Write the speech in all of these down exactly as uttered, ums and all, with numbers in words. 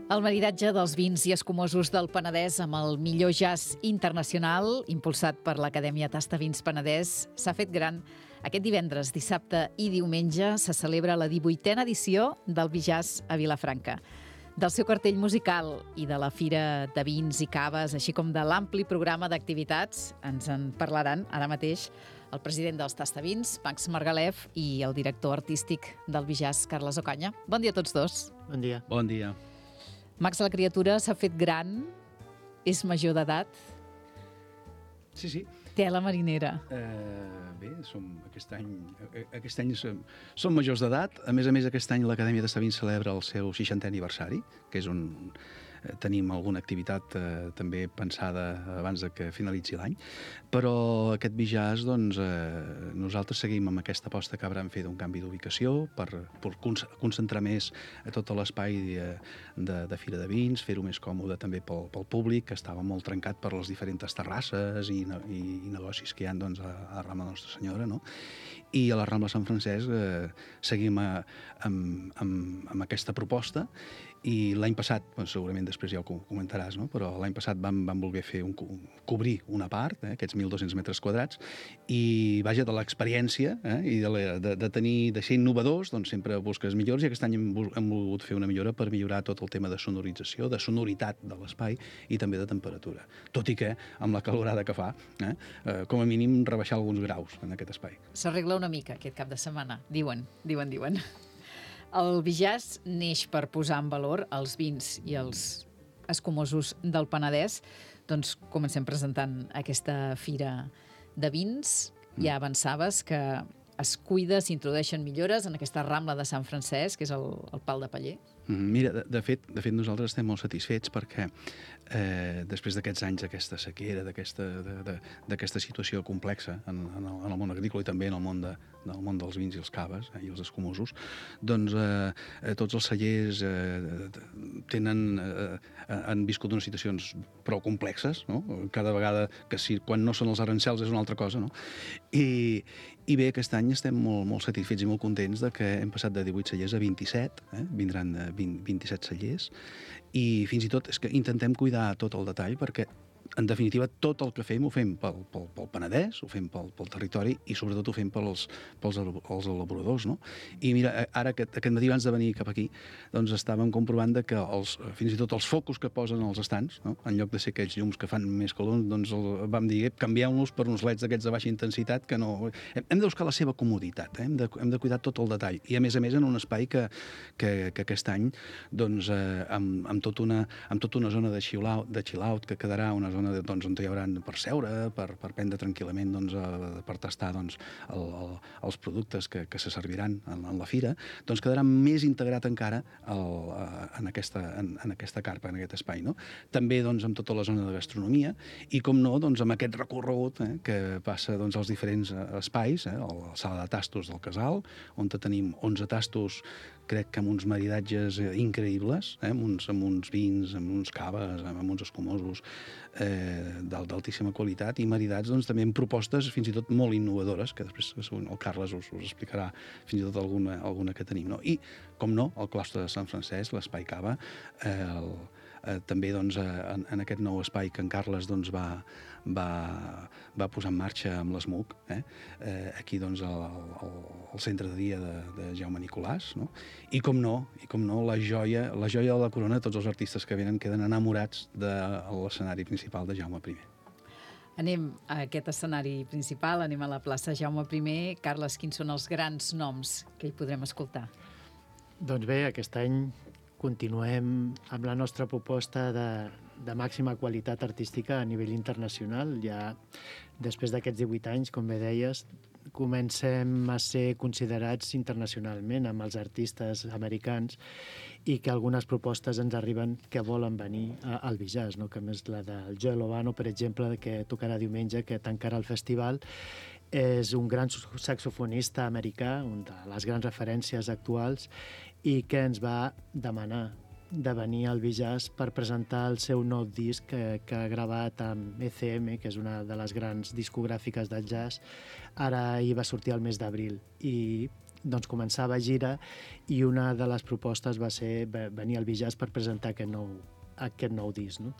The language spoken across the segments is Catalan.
El maridatge dels vins i escumosos del Penedès amb el millor jazz internacional, impulsat per l'Acadèmia Tastavins Penedès, s'ha fet gran. Aquest divendres, dissabte i diumenge se celebra la divuitena edició del Bijazz a Vilafranca. Del seu cartell musical i de la fira de vins i caves, així com de l'ampli programa d'activitats, ens en parlaran ara mateix el president dels Tastavins, Max Margalef, i el director artístic del Bijazz, Carles Ocaña. Bon dia a tots dos. Bon dia. Bon dia. Max, la criatura s'ha fet gran, és major d'edat. Sí, sí. Tela marinera. Uh, bé, som aquest any, aquest any som, som majors d'edat. A més a més, aquest any l'Acadèmia Tastavins celebra el seu seixantè aniversari, que és un... Tenim alguna activitat eh, també pensada abans de que finalitzi l'any, però aquest Bijazz, doncs, eh, nosaltres seguim amb aquesta aposta que haurem fet d'un canvi d'ubicació per, per concentrar més a tot l'espai de, de, de Fira de Vins, fer-ho més còmode també pel, pel públic, que estava molt trencat per les diferents terrasses i, i, i negocis que hi ha, doncs, a, a Rambla Nostra Senyora, no? I a la Rambla Sant Francesc eh, seguim a, amb, amb, amb aquesta proposta. I l'any passat, doncs, segurament després ja ho comentaràs, no? Però l'any passat vam, vam voler fer un, cobrir una part, eh, aquests mil dos-cents metres quadrats, i vaja, de l'experiència eh, i de, la, de, de tenir, de ser innovadors, doncs sempre busques millors, i aquest any hem, hem volgut fer una millora per millorar tot el tema de sonorització, de sonoritat de l'espai i també de temperatura. Tot i que, amb la calorada que fa, eh, eh, com a mínim rebaixar alguns graus en aquest espai. S'arregla una mica aquest cap de setmana, diuen, diuen, diuen. El Bijazz neix per posar en valor els vins i els escumosos del Penedès. Doncs comencem presentant aquesta fira de vins. Ja avançaves que es cuida, s'introdueixen millores en aquesta Rambla de Sant Francesc, que és el, el pal de paller. Mira, de, de, fet, de fet nosaltres estem molt satisfets perquè eh, després d'aquests anys d'aquesta sequera, d'aquesta situació complexa en, en, el, en el món agrícola i també en el món, de, del món dels vins i els caves eh, i els escumosos, doncs eh, tots els cellers eh, tenen, eh, han viscut unes situacions prou complexes, no? Cada vegada que si, quan no són els arancels és una altra cosa, no? I, i bé, aquest any estem molt, molt satisfets i molt contents de que hem passat de divuit cellers a vint-i-set, eh? Vindran vint, vint-i-set cellers, i fins i tot és que intentem cuidar tot el detall perquè, en definitiva, tot el que fem ho fem pel, pel, pel Penedès, ho fem pel, pel territori i sobretot ho fem pels, pels els elaboradors, no? I mira, ara aquest, aquest matí abans de venir cap aquí, doncs estàvem comprovant de que els, fins i tot els focus que posen als estants, no? En lloc de ser aquells llums que fan més calor, doncs el, vam dir, canviem-los per uns leds d'aquests de baixa intensitat que no... Hem, hem de buscar la seva comoditat, eh? hem, de, hem de cuidar tot el detall. I a més a més en un espai que, que, que aquest any, doncs, eh, amb, amb, tot una, amb tota una zona de chill-out, de chill-out que quedarà una zona de, doncs, on hi haurà per seure, per, per prendre tranquil·lament, doncs, a, per tastar doncs, el, el, els productes que, que se serviran en, en la fira, doncs quedarà més integrat encara el, en, aquesta, en, en aquesta carpa, en aquest espai, no? També doncs, amb tota la zona de gastronomia i, com no, doncs, amb aquest recorregut eh, que passa doncs, als diferents espais, eh, la sala de tastos del Casal, on tenim onze tastos, crec que amb uns maridatges increïbles, eh, amb, uns, amb uns vins, amb uns caves, amb uns escumosos, eh, d'altíssima qualitat, i maridats doncs, també amb propostes fins i tot molt innovadores, que després el Carles us, us explicarà fins i tot alguna, alguna que tenim. No? I, com no, el claustre de Sant Francesc, l'espai Cava, eh, el, eh, també doncs, en, en aquest nou espai que en Carles doncs, va, va, va posar en marxa amb l'ESMUC, eh? Eh, aquí doncs, el, el, el centre de dia de, de Jaume Nicolàs, no? I com no, i com no, la joia, la joia de la corona, tots els artistes que venen queden enamorats de l'escenari principal de Jaume primer. Anem a aquest escenari principal, anem a la plaça Jaume primer. Carles, quins són els grans noms que hi podrem escoltar? Doncs bé, aquest any continuem amb la nostra proposta de, de màxima qualitat artística a nivell internacional. Ja després d'aquests divuit anys, com bé deies, comencem a ser considerats internacionalment amb els artistes americans i que algunes propostes ens arriben que volen venir al Bijazz, no? Que més la del Joe Lovano, per exemple, que tocarà diumenge, que tancarà el festival, és un gran saxofonista americà, una de les grans referències actuals, i que ens va demanar de venir al Bijazz per presentar el seu nou disc que, que ha gravat amb E C M, que és una de les grans discogràfiques del jazz. Ara hi va sortir el mes d'abril i doncs començava gira i una de les propostes va ser venir al Bijàs per presentar aquest nou, aquest nou disc, no?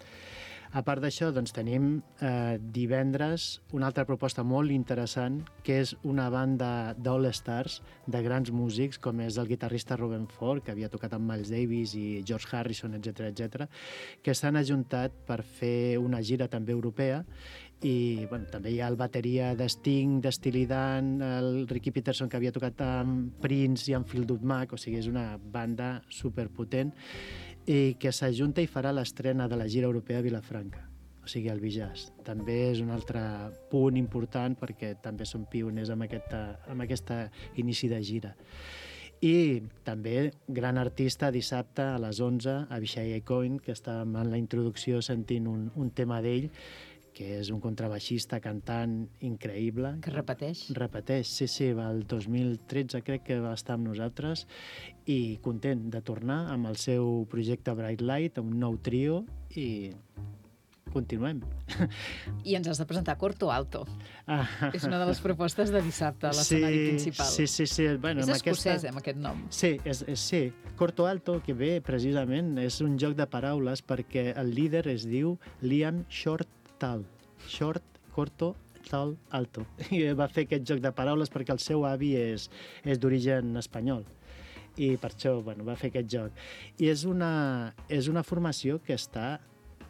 A part d'això, doncs, tenim eh, divendres una altra proposta molt interessant, que és una banda d'All-Stars, de grans músics, com és el guitarrista Robben Ford, que havia tocat amb Miles Davis i George Harrison, etcètera, etcètera, que s'han ajuntat per fer una gira també europea. I bueno, també hi ha el bateria de Sting, de Steely Dan, el Ricky Peterson, que havia tocat amb Prince i amb Fleetwood Mac, o sigui, és una banda superpotent, i que s'ajunta i farà l'estrena de la gira europea a Vilafranca, o sigui, al Bijàs. També és un altre punt important perquè també són pioners amb aquesta, amb aquesta inici de gira. I també gran artista dissabte a les onze, Avishai Cohen, que estàvem en la introducció sentint un, un tema d'ell, que és un contrabaixista, cantant increïble. Que repeteix? Repeteix, sí, sí, va el dos mil tretze crec que va estar amb nosaltres i content de tornar amb el seu projecte Bright Light, un nou trio, i continuem. I ens has de presentar Corto Alto. Ah. És una de les propostes de dissabte a l'escenari sí, principal. Sí, sí, sí. Bueno, és amb escocès, aquesta... eh, amb aquest nom. Sí, és, és, sí. Corto Alto, que ve precisament, és un joc de paraules perquè el líder es diu Liam Short Tal. Short, corto, tal, alto. I va fer aquest joc de paraules perquè el seu avi és, és d'origen espanyol. I per això bueno, va fer aquest joc. I és una, és una formació que està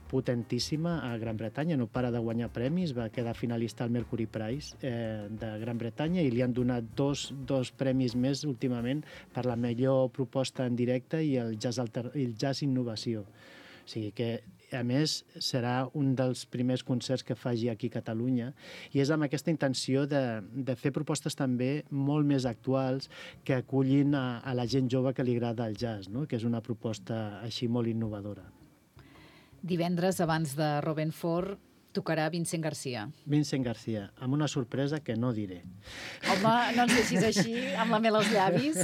potentíssima a Gran Bretanya, no para de guanyar premis, va quedar finalista al Mercury Prize eh, de Gran Bretanya i li han donat dos, dos premis més últimament per la millor proposta en directe i el jazz, alter, el jazz innovació. O sigui que, a més, serà un dels primers concerts que faci aquí a Catalunya i és amb aquesta intenció de, de fer propostes també molt més actuals que acullin a, a la gent jove que li agrada el jazz, no? Que és una proposta així molt innovadora. Divendres, abans de Robben Ford, tocarà Vincent Garcia. Vincent Garcia, amb una sorpresa que no diré. Home, no ens deixis així, amb la mel als llavis.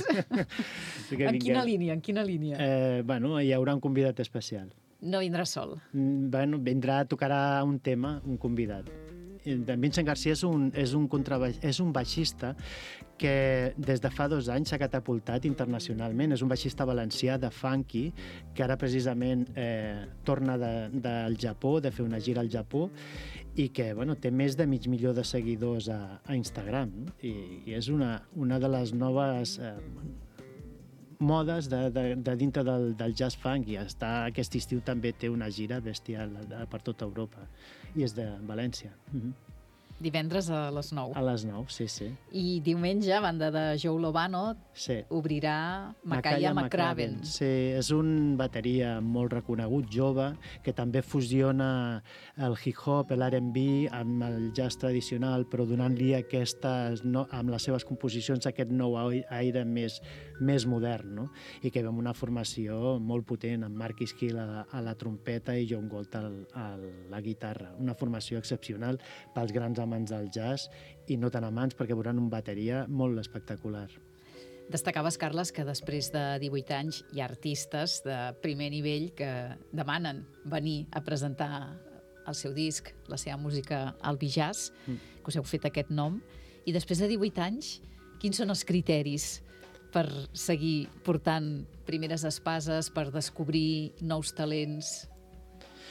Sí en quina línia, en quina línia? Eh, bueno, hi haurà un convidat especial. No vindrà sol. Bueno, vindrà, tocarà un tema, un convidat. En Vincent Garcia és un, és un, contrabaix, és un baixista que des de fa dos anys s'ha catapultat internacionalment. És un baixista valencià de funky que ara precisament eh, torna de, del Japó, de fer una gira al Japó i que bueno, té més de mig milió de seguidors a, a Instagram. I, i és una, una de les noves... Eh, modes de, de, de dintre del, del jazz funk i està, aquest estiu també té una gira bestial per tota Europa i és de València. Mm-hmm. Divendres a les nou. A les nou, sí, sí. I diumenge, a banda de Joe Lovano, sí. obrirà Makaya McCraven. Sí, és un bateria molt reconegut, jove, que també fusiona el hip-hop, l'R and B amb el jazz tradicional, però donant-li aquestes, no, amb les seves composicions aquest nou aire més, més modern, no? I que ve amb una formació molt potent, amb Mark Iskill a, a la trompeta i John Gold a la guitarra. Una formació excepcional pels grans amants del jazz i no tan amants perquè veuran un bateria molt espectacular. Destacaves, Carles, que després de divuit anys hi ha artistes de primer nivell que demanen venir a presentar el seu disc, la seva música al Bijàs, mm. que us heu fet aquest nom, i després de divuit anys, quins són els criteris per seguir portant primeres espases, per descobrir nous talents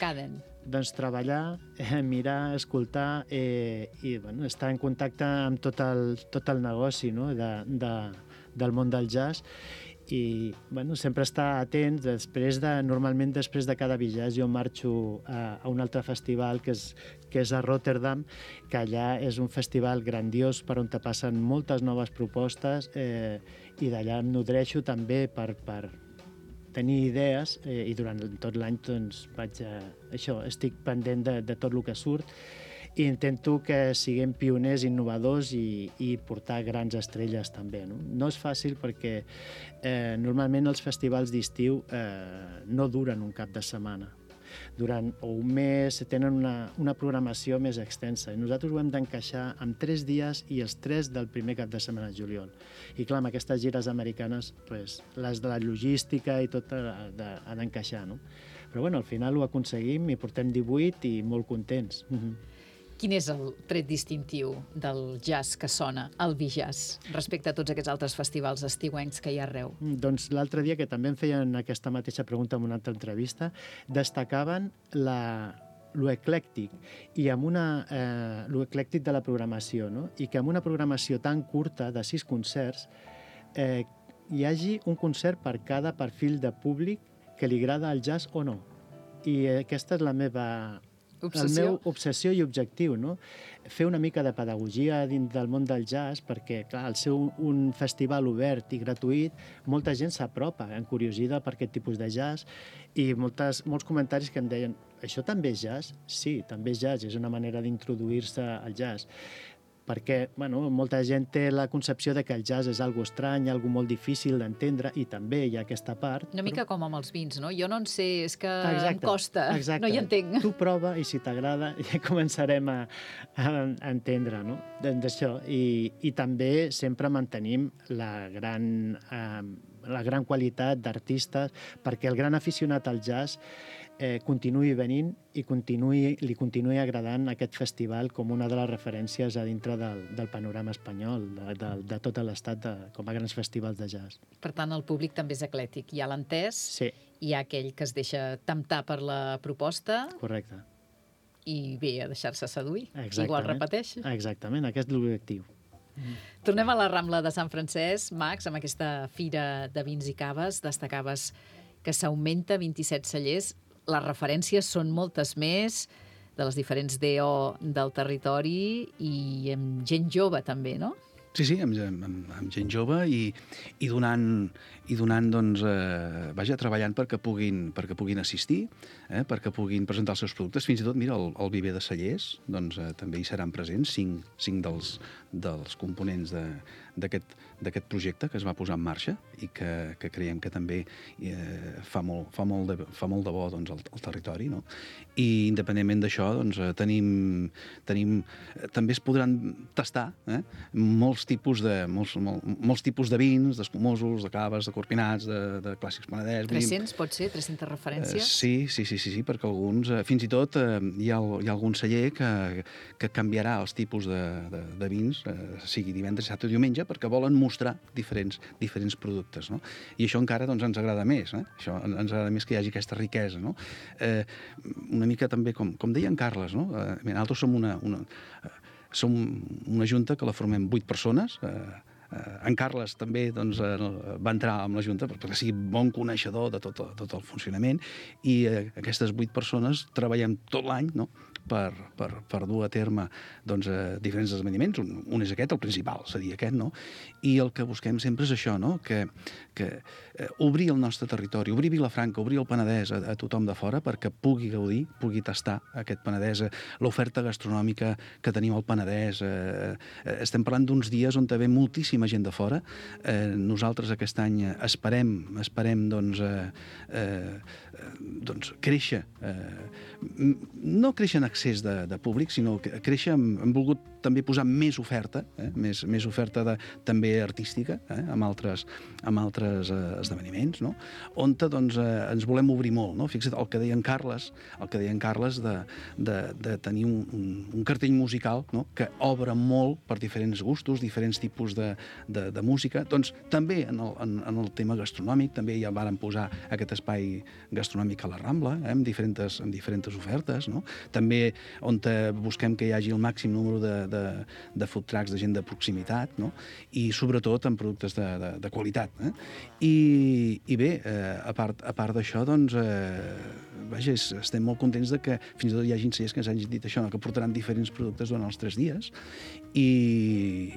cada any? Doncs treballar, eh, mirar, escoltar eh, i bueno, estar en contacte amb tot el, tot el negoci, no? de, de, del món del jazz i bueno, sempre estar atent. Després de, normalment després de cada Bijàs jo marxo a, a un altre festival que és, que és a Rotterdam, que allà és un festival grandiós per on te passen moltes noves propostes eh, i d'allà em nodreixo també per, per tenir idees eh, i durant tot l'any doncs, vaig a, això, estic pendent de, de tot el que surt i intento que siguem pioners, innovadors i, i portar grans estrelles també. No, no és fàcil perquè eh, normalment els festivals d'estiu eh, no duren un cap de setmana. Durant un mes tenen una, una programació més extensa i nosaltres ho hem d'encaixar amb tres dies i els tres del primer cap de setmana de juliol. I clar, amb aquestes gires americanes, pues, les de la logística i tot ha d'encaixar, no? Però bueno, al final ho aconseguim i portem divuit i molt contents. Mm-hmm. Quin és el tret distintiu del jazz que sona, el Bijazz, respecte a tots aquests altres festivals estiuencs que hi ha arreu? Doncs l'altre dia, que també em feien aquesta mateixa pregunta en una altra entrevista, destacaven la lo eclèctic i amb una eh, lo eclèctic de la programació, no? I que amb una programació tan curta de sis concerts eh, hi hagi un concert per cada perfil de públic que li agrada el jazz o no. I aquesta és la meva obsessió, el meu obsessió i objectiu, no? Fer una mica de pedagogia dins del món del jazz, perquè, clar, al ser un, un festival obert i gratuït, molta gent s'apropa, encuriosida per aquest tipus de jazz, i moltes, molts comentaris que em deien això també és jazz? Sí, també és jazz, és una manera d'introduir-se al jazz. Perquè, bueno, molta gent té la concepció de que el jazz és algo estrany, algo molt difícil d'entendre, i també hi ha aquesta part. Una mica però... com amb els vins, no? Jo no en sé, és que exacte, em costa, exacte. No hi entenc. Tu prova i si t'agrada ja començarem a, a, a entendre, no? D'això. I, I també sempre mantenim la gran, eh, la gran qualitat d'artistes, perquè el gran aficionat al jazz eh, continuï venint i continuï, li continuï agradant aquest festival com una de les referències a dintre del, del panorama espanyol, de, de, de tot l'estat com a grans festivals de jazz. Per tant, el públic també és eclèctic. Hi ha l'entès, sí. Hi ha aquell que es deixa temptar per la proposta. Correcte. I bé, a deixar-se seduir. Exactament. Igual repeteix. Exactament, aquest és l'objectiu. Mm. Tornem a la Rambla de Sant Francesc, Max, amb aquesta fira de vins i caves. Destacaves que s'augmenta vint-i-set cellers. Les referències són moltes més, de les diferents D O del territori, i amb gent jove també, no? Sí, sí, amb, amb, amb gent jove i, i donant, i donant doncs, eh, vaja, treballant perquè puguin, perquè puguin assistir, eh, perquè puguin presentar els seus productes. Fins i tot, mira, el, el Viver de Cellers, doncs, eh, també hi seran presents cinc, cinc dels, dels components de, d'aquest d'aquest projecte que es va posar en marxa i que, que creiem que també eh, fa, molt, fa, molt de, fa molt de bo doncs, el, el territori, no? I independentment d'això, doncs, tenim, tenim, també es podran tastar eh, molts tipus de, molts, molt, molts tipus de vins, d'escumosos, de caves, de corpinats, de, de clàssics Penedès. tres-cents, pot ser? tres-centes referències? Eh, sí, sí, sí, sí, sí, perquè alguns, eh, fins i tot, eh, hi, ha, hi ha algun celler que, que canviarà els tipus de, de, de vins, eh, sigui divendres, dissabte o diumenge, perquè volen mostrar diferents, diferents productes, no? I això encara doncs, ens agrada més, eh? Això ens agrada més que hi hagi aquesta riquesa, no? Eh, una mica també, com, com deia en Carles, no? Eh, nosaltres som una, una, eh, som una junta que la formem vuit persones, eh, eh, en Carles també doncs, eh, va entrar amb la junta perquè sigui bon coneixedor de tot, tot el funcionament, i eh, aquestes vuit persones treballem tot l'any, no? Per, per, per dur a terme doncs, eh, diferents esdeveniments. Un, un és aquest, el principal, seria aquest, no? I el que busquem sempre és això, no? Que, que eh, obrir el nostre territori, obrir Vilafranca, obrir el Penedès a, a tothom de fora perquè pugui gaudir, pugui tastar aquest Penedès, l'oferta gastronòmica que tenim al Penedès. Eh, eh, estem parlant d'uns dies on ve moltíssima gent de fora. Eh, nosaltres aquest any esperem, esperem doncs, eh, eh, doncs créixer, eh, no créixer en excés de, de públic, sinó que créixer, hem, hem volgut també posar més oferta, eh? més, més oferta de, també artística, eh? amb altres, amb altres eh, esdeveniments, no? On doncs, eh, ens volem obrir molt. No? Fixa't el que deia en Carles, el que deia en Carles de, de, de tenir un, un, un cartell musical, no? Que obre molt per diferents gustos, diferents tipus de, de, de música. Doncs també en el, en, en el tema gastronòmic, també ja varen posar aquest espai gastronòmic a la Rambla, eh? amb, diferents, amb diferents ofertes, no? També on busquem que hi hagi el màxim número de, de, de food trucks, de gent de proximitat, no? I sobretot en productes de, de, de qualitat. Eh? I, I bé, eh, a part, a part d'això, doncs, eh, vaja, estem molt contents de que fins i tot hi hagi cellers que ens hagin dit això, no? Que portaran diferents productes durant els tres dies. I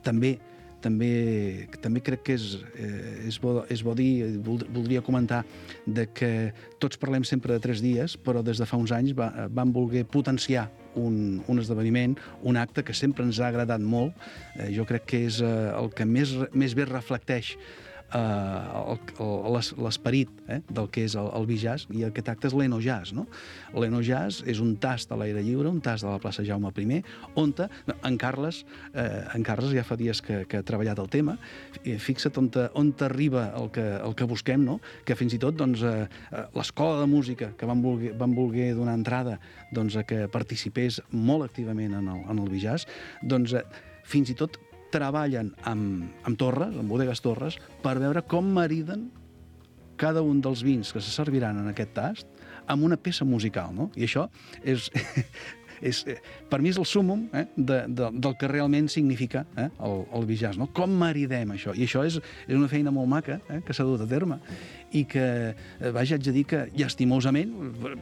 també També, també crec que és, eh, és, bo, és bo dir, voldria comentar de que tots parlem sempre de tres dies, però des de fa uns anys va, vam voler potenciar un, un esdeveniment, un acte que sempre ens ha agradat molt. Eh, jo crec que és eh, el que més, més bé reflecteix uh, l'esperit eh, del que és el, el bijazz, i aquest acte és l'Enojazz, no? L'Enojazz és un tast a l'aire lliure, un tast de la plaça Jaume I, on en Carles, eh, en Carles ja fa dies que, que ha treballat el tema, fixa't on, te, on t'arriba el que, el que busquem, no? Que fins i tot doncs, eh, l'escola de música que van voler, van voler donar entrada doncs, a que participés molt activament en el, en el bijazz, doncs eh, fins i tot treballen amb, amb torres, amb bodegues torres, per veure com mariden cada un dels vins que se serviran en aquest tast amb una peça musical, no? I això és... És, per mi és el súmmum eh, de, de, del que realment significa eh, el, el bijazz, no? Com maridem això? I això és, és una feina molt maca eh, que s'ha dut a terme i que, eh, vaja, haig de dir que llastimosament,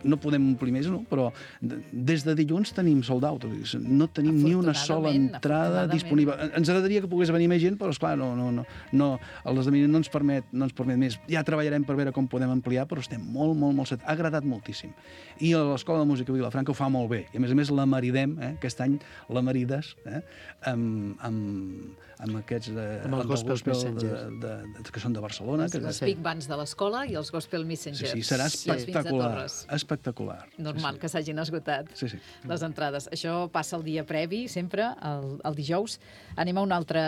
no podem omplir més, no? Però des de dilluns tenim sold out, no tenim ni una sola entrada disponible. Ens agradaria que pogués venir més gent, però esclar, no, no, no, no, l'esdeveniment no ens permet, no ens permet més. Ja treballarem per veure com podem ampliar, però estem molt, molt, molt set. Ha agradat moltíssim. I l'Escola de Música Vilafranca ho fa molt bé. I a més a més la maridem, eh? Aquest any la marides eh? amb, amb, amb aquests de, amb els Gospel Messengers de, de, de, que són de Barcelona. Les, que les Big Bands de l'escola i els Gospel Messengers. Sí, sí, serà espectacular. Espectacular. Normal sí, sí. que s'hagin esgotat sí, sí. les entrades. Això passa el dia previ, sempre, el, el dijous. Anem a un altre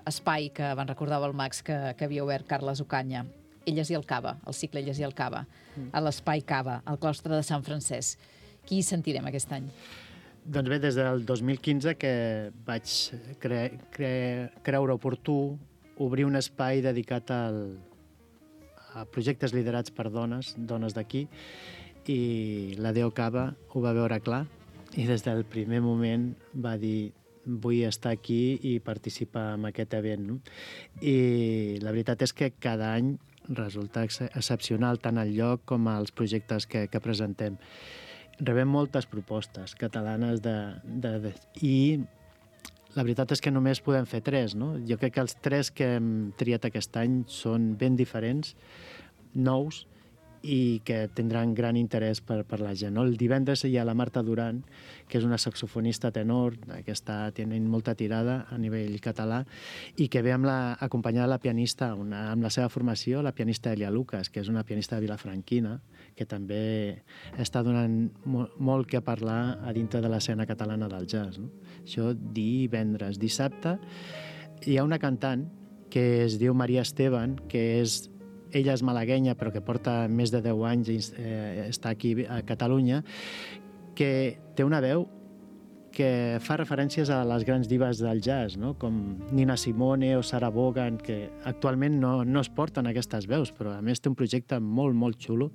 espai que van recordava el Max que, que havia obert Carles Ocaña. Elles i el Cava, el cicle Elles i el Cava, mm. a l'Espai Cava, al claustre de Sant Francesc. Qui hi sentirem aquest any? Doncs bé, des del dos mil quinze que vaig cre cre creure oportú obrir un espai dedicat al, a projectes liderats per dones, dones d'aquí, i la Deo Cava ho va veure clar i des del primer moment va dir vull estar aquí i participar en aquest event. No? I la veritat és que cada any resulta ex excepcional tant el lloc com els projectes que, que presentem. Rebem moltes propostes catalanes de, de, de, i la veritat és que només podem fer tres, no? Jo crec que els tres que hem triat aquest any són ben diferents, nous, i que tindran gran interès per, per la gent. No? El divendres hi ha la Marta Duran, que és una saxofonista tenor, que està tenint molta tirada a nivell català, i que ve amb la, acompanyada de la pianista, una, amb la seva formació, la pianista Elia Lucas, que és una pianista vilafranquina, que també està donant mo molt que parlar a dintre de l'escena catalana del jazz. No? Això divendres. Dissabte hi ha una cantant que es diu Maria Esteban, que és ella és malaguenya, però que porta més de deu anys i eh, està aquí a Catalunya, que té una veu que fa referències a les grans divas del jazz, no? Com Nina Simone o Sarah Vaughan, que actualment no, no es porten aquestes veus, però a més té un projecte molt, molt xulo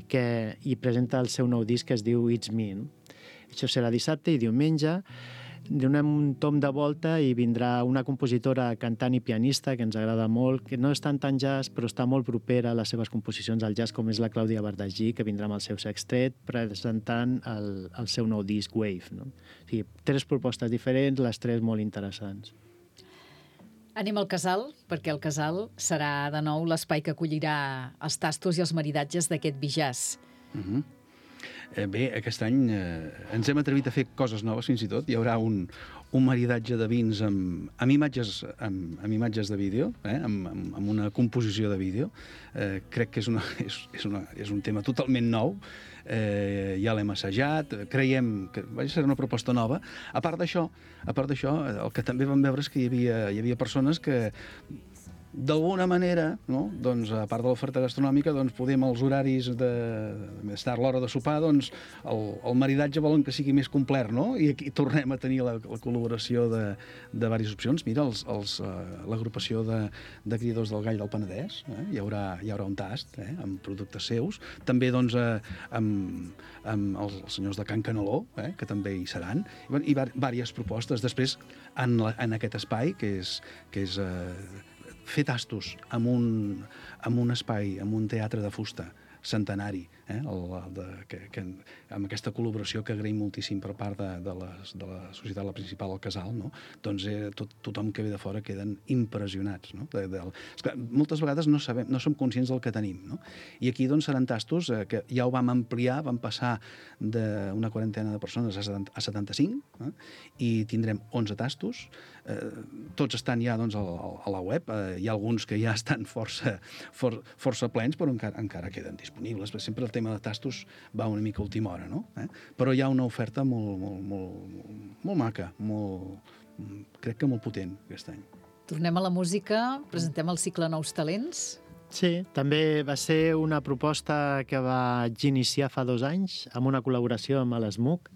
que hi presenta el seu nou disc que es diu It's Me. No? Això serà dissabte i diumenge. Donem un tom de volta i vindrà una compositora, cantant i pianista que ens agrada molt, que no és tant tan jazz, però està molt propera a les seves composicions al jazz, com és la Clàudia Bardagí, que vindrà amb el seu sextet presentant el, el seu nou disc Wave. No? O sigui, tres propostes diferents, les tres molt interessants. Anem al Casal, perquè el Casal serà de nou l'espai que acollirà els tastos i els maridatges d'aquest bijazz. Mhm. Mm Eh, bé, aquest any eh, ens hem atrevit a fer coses noves, fins i tot. Hi haurà un, un maridatge de vins amb, amb, imatges, amb, amb imatges de vídeo, eh, amb, amb, amb una composició de vídeo. Eh, crec que és, una, és, és, una, és un tema totalment nou. Eh, ja l'hem assajat, creiem que vaja, serà una proposta nova. A part d'això, a part d'això, el que també vam veure és que hi havia, hi havia persones que d'alguna manera, no? Doncs, a part de l'oferta gastronòmica, doncs, podem els horaris de més tard, l'hora de sopar, doncs, el, el maridatge volen que sigui més complet, no? I aquí tornem a tenir la, la col·laboració de, de diverses opcions. Mira, els, els, uh, l'agrupació de, de criadors del gall del Penedès, eh? hi, haurà, hi haurà un tast eh? amb productes seus. També, doncs, eh, amb, amb els, els senyors de Can Caneló, eh? que també hi seran, i, i diverses propostes. Després, en, la, en aquest espai, que és, que és eh, fer tastos amb un, amb un espai, amb un teatre de fusta centenari, eh? El, de, que, que, amb aquesta col·laboració que agraïm moltíssim per part de, de, les, de la societat, la principal, el Casal, no? Doncs eh, tot, tothom que ve de fora queden impressionats. No? De, de, esclar, moltes vegades no, sabem, no som conscients del que tenim. No? I aquí doncs, seran tastos eh, que ja ho vam ampliar, vam passar d'una quarantena de persones a setanta-cinc, eh? I tindrem onze tastos. Eh, tots estan ja doncs, a, a la web. Eh, hi ha alguns que ja estan força, for, força plens, però encara, encara queden disponibles. Sempre el tema de tastos va una mica a última hora, no? Eh? Però hi ha una oferta molt, molt, molt, molt, molt maca, molt, crec que molt potent aquest any. Tornem a la música, presentem el cicle Nous Talents. Sí, també va ser una proposta que vaig iniciar fa dos anys amb una col·laboració amb l'ESMUC.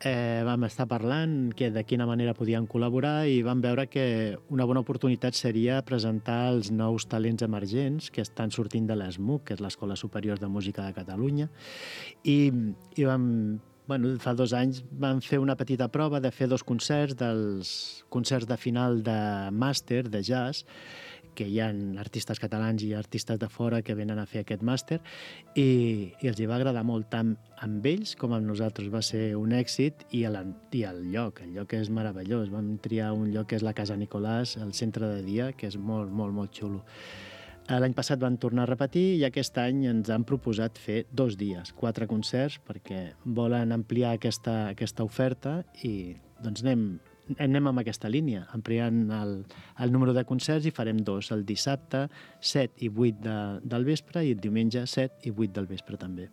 Eh, vam estar parlant que de quina manera podien col·laborar i vam veure que una bona oportunitat seria presentar els nous talents emergents que estan sortint de l'ESMUC, que és l'Escola Superior de Música de Catalunya, i, i vam, bueno, fa dos anys vam fer una petita prova de fer dos concerts, dels concerts de final de màster de jazz, que hi ha artistes catalans i artistes de fora que venen a fer aquest màster, i, i els hi va agradar molt tant amb ells com amb nosaltres. Va ser un èxit, i, el, i el lloc, el lloc és meravellós. Vam triar un lloc que és la Casa Nicolàs, el centre de dia, que és molt, molt, molt xulo. L'any passat van tornar a repetir i aquest any ens han proposat fer dos dies, quatre concerts, perquè volen ampliar aquesta, aquesta oferta i doncs anem, anem amb aquesta línia, ampliant el, el número de concerts, i farem dos, el dissabte set i vuit de, del vespre i el diumenge set i vuit del vespre també.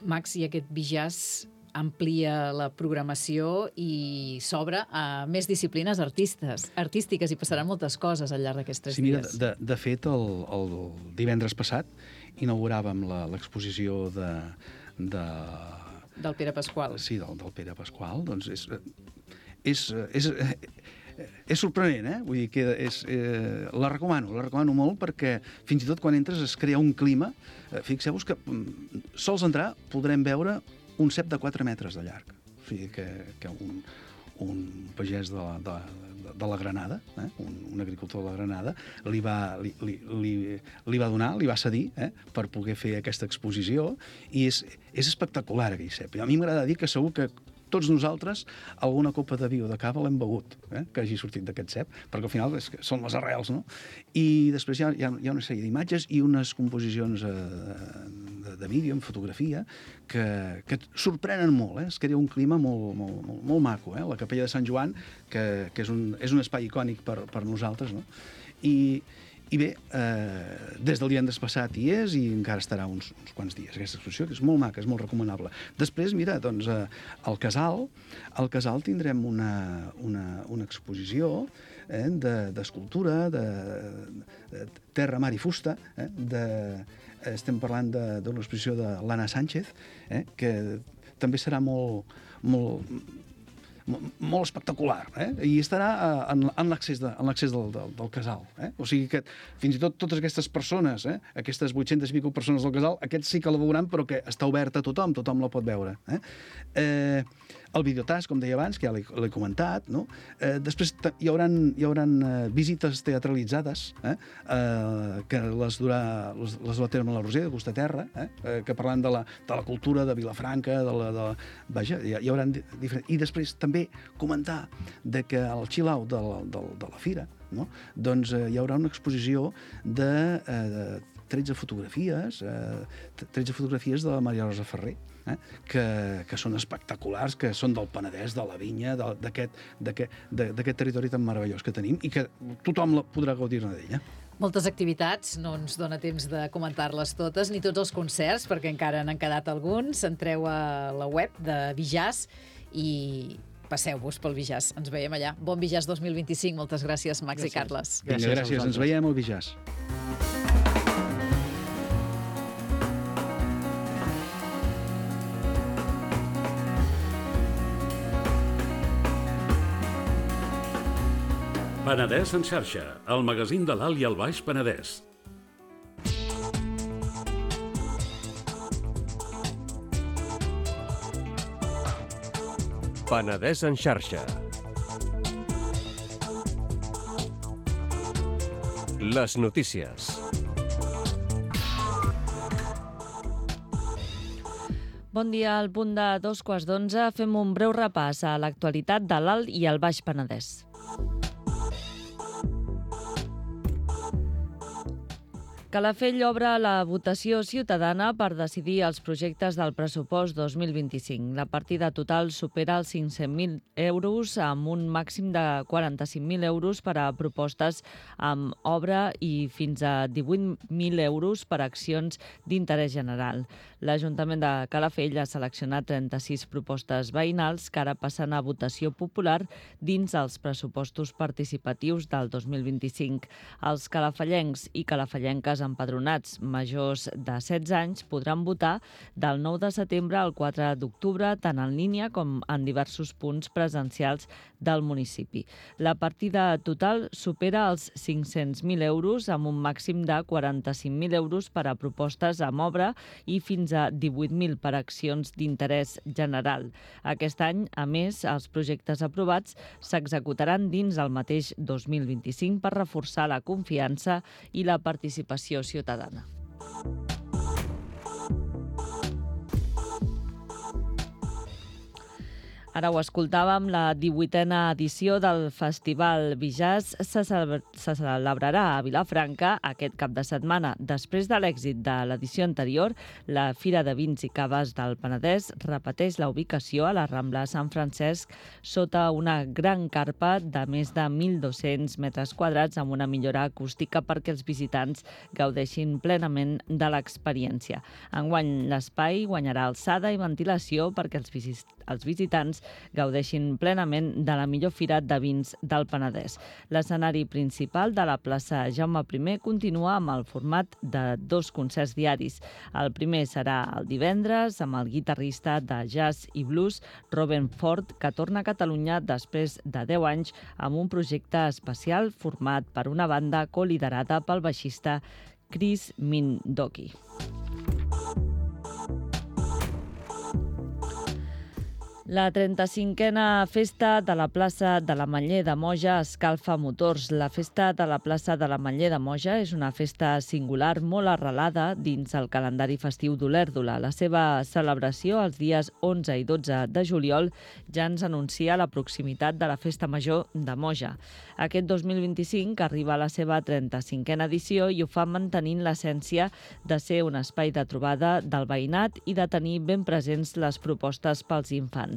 Max, i aquest Bijazz amplia la programació i s'obre a més disciplines artistes, artístiques, i passaran moltes coses al llarg d'aquests tres sí, mira, dies. De, de fet, el, el divendres passat inauguràvem l'exposició de, de... del Pere Pasqual. Sí, del, del Pere Pasqual. Doncs és... És, és, és sorprenent, eh? Vull dir que és, eh, la recomano, la recomano molt, perquè fins i tot quan entres es crea un clima. Eh, Fixeu-vos que sols entrar podrem veure un cep de quatre metres de llarg. O sigui que, que un, un pagès de la, de, de la Granada, eh? un, un agricultor de la Granada, li va, li, li, li, li va donar, li va cedir eh? per poder fer aquesta exposició, i és, és espectacular aquell cep. A mi m'agrada dir que segur que tots nosaltres alguna copa de vi o de cava l'hem begut, eh? que hagi sortit d'aquest cep, perquè al final és que són les arrels, no? I després hi ha, hi ha, hi ha una sèrie d'imatges i unes composicions eh, de, de vídeo, en fotografia, que, que sorprenen molt, eh? Es crea un clima molt, molt, molt, molt maco, eh? La Capella de Sant Joan, que, que és, un, és un espai icònic per, per nosaltres, no? I, I bé, eh, des del divendres passat hi és i encara estarà uns, uns quants dies aquesta exposició, que és molt maca, és molt recomanable. Després, mira, doncs, eh, al Casal, al Casal tindrem una, una, una exposició eh, d'escultura, de, de, de terra, mar i fusta, eh, de, estem parlant d'una exposició de l'Anna Sánchez, eh, que també serà molt, molt, molt espectacular, eh? I estarà en, en l'accés de, del, del, del Casal. Eh? O sigui que fins i tot totes aquestes persones, eh? aquestes vuit-centes i pico persones del Casal, aquests sí que la veuran, però que està oberta a tothom, tothom la pot veure. Eh? Eh, el videotask, com deia abans, que ja l'he comentat, no? Eh, després hi haurà, hi haurà eh, visites teatralitzades, eh? Eh, que les durà, les, les durà a terme la Roser, de Gustaterra, eh? Eh, que parlant de la, de la cultura de Vilafranca, de la, de, vaja, hi, hi haurà diferents... I després també comentar de que al chill-out de, de, de la fira, no? Doncs eh, hi haurà una exposició de, eh, de tretze fotografies, eh, tretze fotografies de la Maria Rosa Ferrer, eh? que, que són espectaculars, que són del Penedès, de la vinya, d'aquest territori tan meravellós que tenim i que tothom podrà gaudir-ne d'ella. Moltes activitats, no ens dona temps de comentar-les totes, ni tots els concerts, perquè encara n'han quedat alguns. Entreu a la web de Bijazz i passeu-vos pel Bijazz. Ens veiem allà. Bon Bijazz dos mil vint-i-cinc. Moltes gràcies, Max gràcies. i Carles. Gràcies, Vinga, gràcies. Ens veiem al Bijazz. Penedès en xarxa, el magazín de l'Alt i el Baix Penedès. Penedès en xarxa. Les notícies. Bon dia, al punt de dos quarts d'onze fem un breu repàs a l'actualitat de l'Alt i el Baix Penedès. Calafell obre la votació ciutadana per decidir els projectes del pressupost dos mil vint-i-cinc. La partida total supera els cinc-cents mil euros amb un màxim de quaranta-cinc mil euros per a propostes amb obra i fins a divuit mil euros per a accions d'interès general. L'Ajuntament de Calafell ha seleccionat trenta-sis propostes veïnals que ara passen a votació popular dins els pressupostos participatius del dos mil vint-i-cinc. Els calafellencs i calafellenques empadronats majors de setze anys podran votar del nou de setembre al quatre d'octubre, tant en línia com en diversos punts presencials del municipi. La partida total supera els cinc-cents mil euros amb un màxim de quaranta-cinc mil euros per a propostes amb obra i fins a divuit mil per a accions d'interès general. Aquest any, a més, els projectes aprovats s'executaran dins el mateix dos mil vint-i-cinc per reforçar la confiança i la participació ciutadana. Ara ho escoltàvem, la divuitena edició del Festival Bijaz se celebrarà a Vilafranca aquest cap de setmana. Després de l'èxit de l'edició anterior, la Fira de Vins i Caves del Penedès repeteix la ubicació a la Rambla Sant Francesc sota una gran carpa de més de mil dos-cents metres quadrats amb una millora acústica perquè els visitants gaudeixin plenament de l'experiència. Enguany l'espai guanyarà alçada i ventilació perquè els visitants gaudeixin plenament de la millor fira de vins del Penedès. L'escenari principal de la plaça Jaume primer continua amb el format de dos concerts diaris. El primer serà el divendres amb el guitarrista de jazz i blues Robin Ford, que torna a Catalunya després de deu anys amb un projecte especial format per una banda coliderada pel baixista Chris Mindoki. La trenta-cinquena Festa de la plaça de l'Ametller de Moja escalfa motors. La Festa de la plaça de l'Ametller de Moja és una festa singular molt arrelada dins el calendari festiu d'Olèrdola. La seva celebració els dies onze i dotze de juliol ja ens anuncia la proximitat de la Festa Major de Moja. Aquest dos mil vint-i-cinc arriba a la seva trenta-cinquena edició i ho fa mantenint l'essència de ser un espai de trobada del veïnat i de tenir ben presents les propostes pels infants.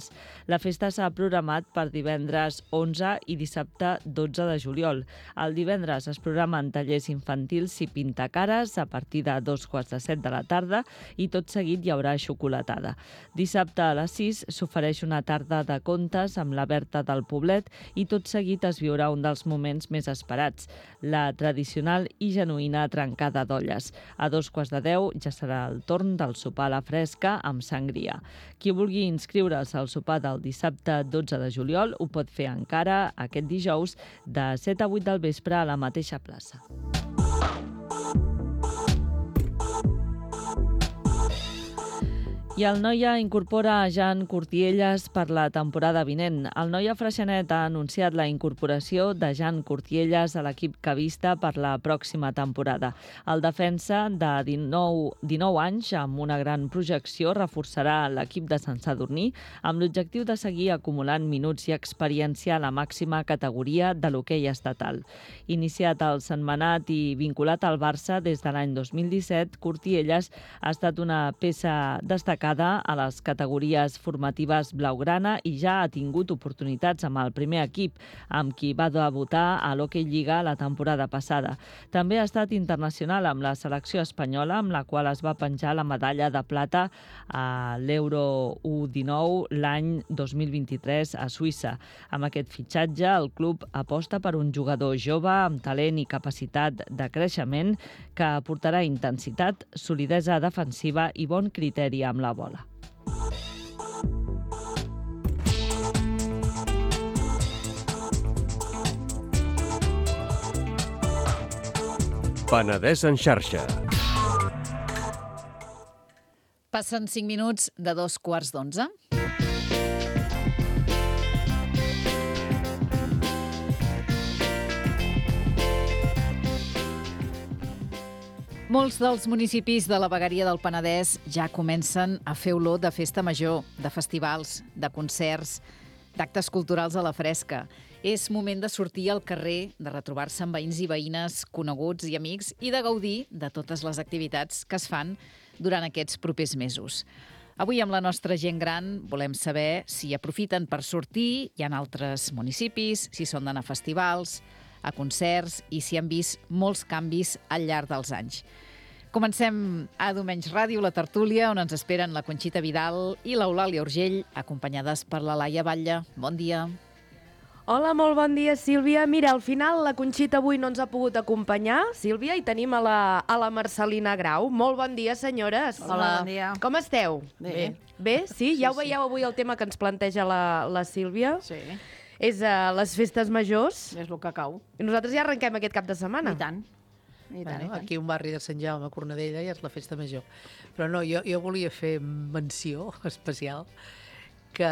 La festa s'ha programat per divendres onze i dissabte dotze de juliol. El divendres es programen tallers infantils i pintacares a partir de dos quarts de set de la tarda i tot seguit hi haurà xocolatada. Dissabte a les sis s'ofereix una tarda de contes amb la Berta del Poblet i tot seguit es viurà un dels moments més esperats, la tradicional i genuïna trencada d'olles. A dos quarts de deu ja serà el torn del sopar a la fresca amb sangria. Qui vulgui inscriure's al sopar del dissabte dotze de juliol ho pot fer encara aquest dijous de set a vuit del vespre a la mateixa plaça. I el Noia incorpora a Jan Cortielles per la temporada vinent. El Noia Freixenet ha anunciat la incorporació de Jan Cortielles a l'equip cavista per la pròxima temporada. El defensa de dinou anys, amb una gran projecció, reforçarà l'equip de Sant Sadurní amb l'objectiu de seguir acumulant minuts i experiència a la màxima categoria de l'hoquei estatal. Iniciat al Sentmenat i vinculat al Barça des de l'any dos mil disset, Cortielles ha estat una peça destacada a les categories formatives blaugrana i ja ha tingut oportunitats amb el primer equip, amb qui va debutar a l'Hockey Lliga la temporada passada. També ha estat internacional amb la selecció espanyola, amb la qual es va penjar la medalla de plata a l'Euro U dinou l'any dos mil vint-i-tres a Suïssa. Amb aquest fitxatge, el club aposta per un jugador jove amb talent i capacitat de creixement que aportarà intensitat, solidesa defensiva i bon criteri amb la bola. Penedès en xarxa. Passen cinc minuts de dos quarts d'onze. Molts dels municipis de la vegueria del Penedès ja comencen a fer olor de festa major, de festivals, de concerts, d'actes culturals a la fresca. És moment de sortir al carrer, de retrobar-se amb veïns i veïnes, coneguts i amics i de gaudir de totes les activitats que es fan durant aquests propers mesos. Avui amb la nostra gent gran volem saber si aprofiten per sortir, hi ha altres municipis, si són d'anar a festivals, a concerts i si han vist molts canvis al llarg dels anys. Comencem a Diumenge Ràdio, la tertúlia, on ens esperen la Conxita Vidal i l'Eulàlia Urgell, acompanyades per la Laia Batlle. Bon dia. Hola, molt bon dia, Sílvia. Mira, al final la Conxita avui no ens ha pogut acompanyar, Sílvia, i tenim a la, a la Marcelina Grau. Molt bon dia, senyores. Hola, bon dia. Com esteu? Bé. Bé, sí? Sí, Ja ho sí. veieu avui el tema que ens planteja la, la Sílvia. Sí, És uh, les festes majors. és el que cau. I nosaltres ja arrenquem aquest cap de setmana. I tant. I tant, Bueno, i tant. aquí un barri de Sant Jaume, Cornudella, ja és la festa major. Però no, jo, jo volia fer menció especial que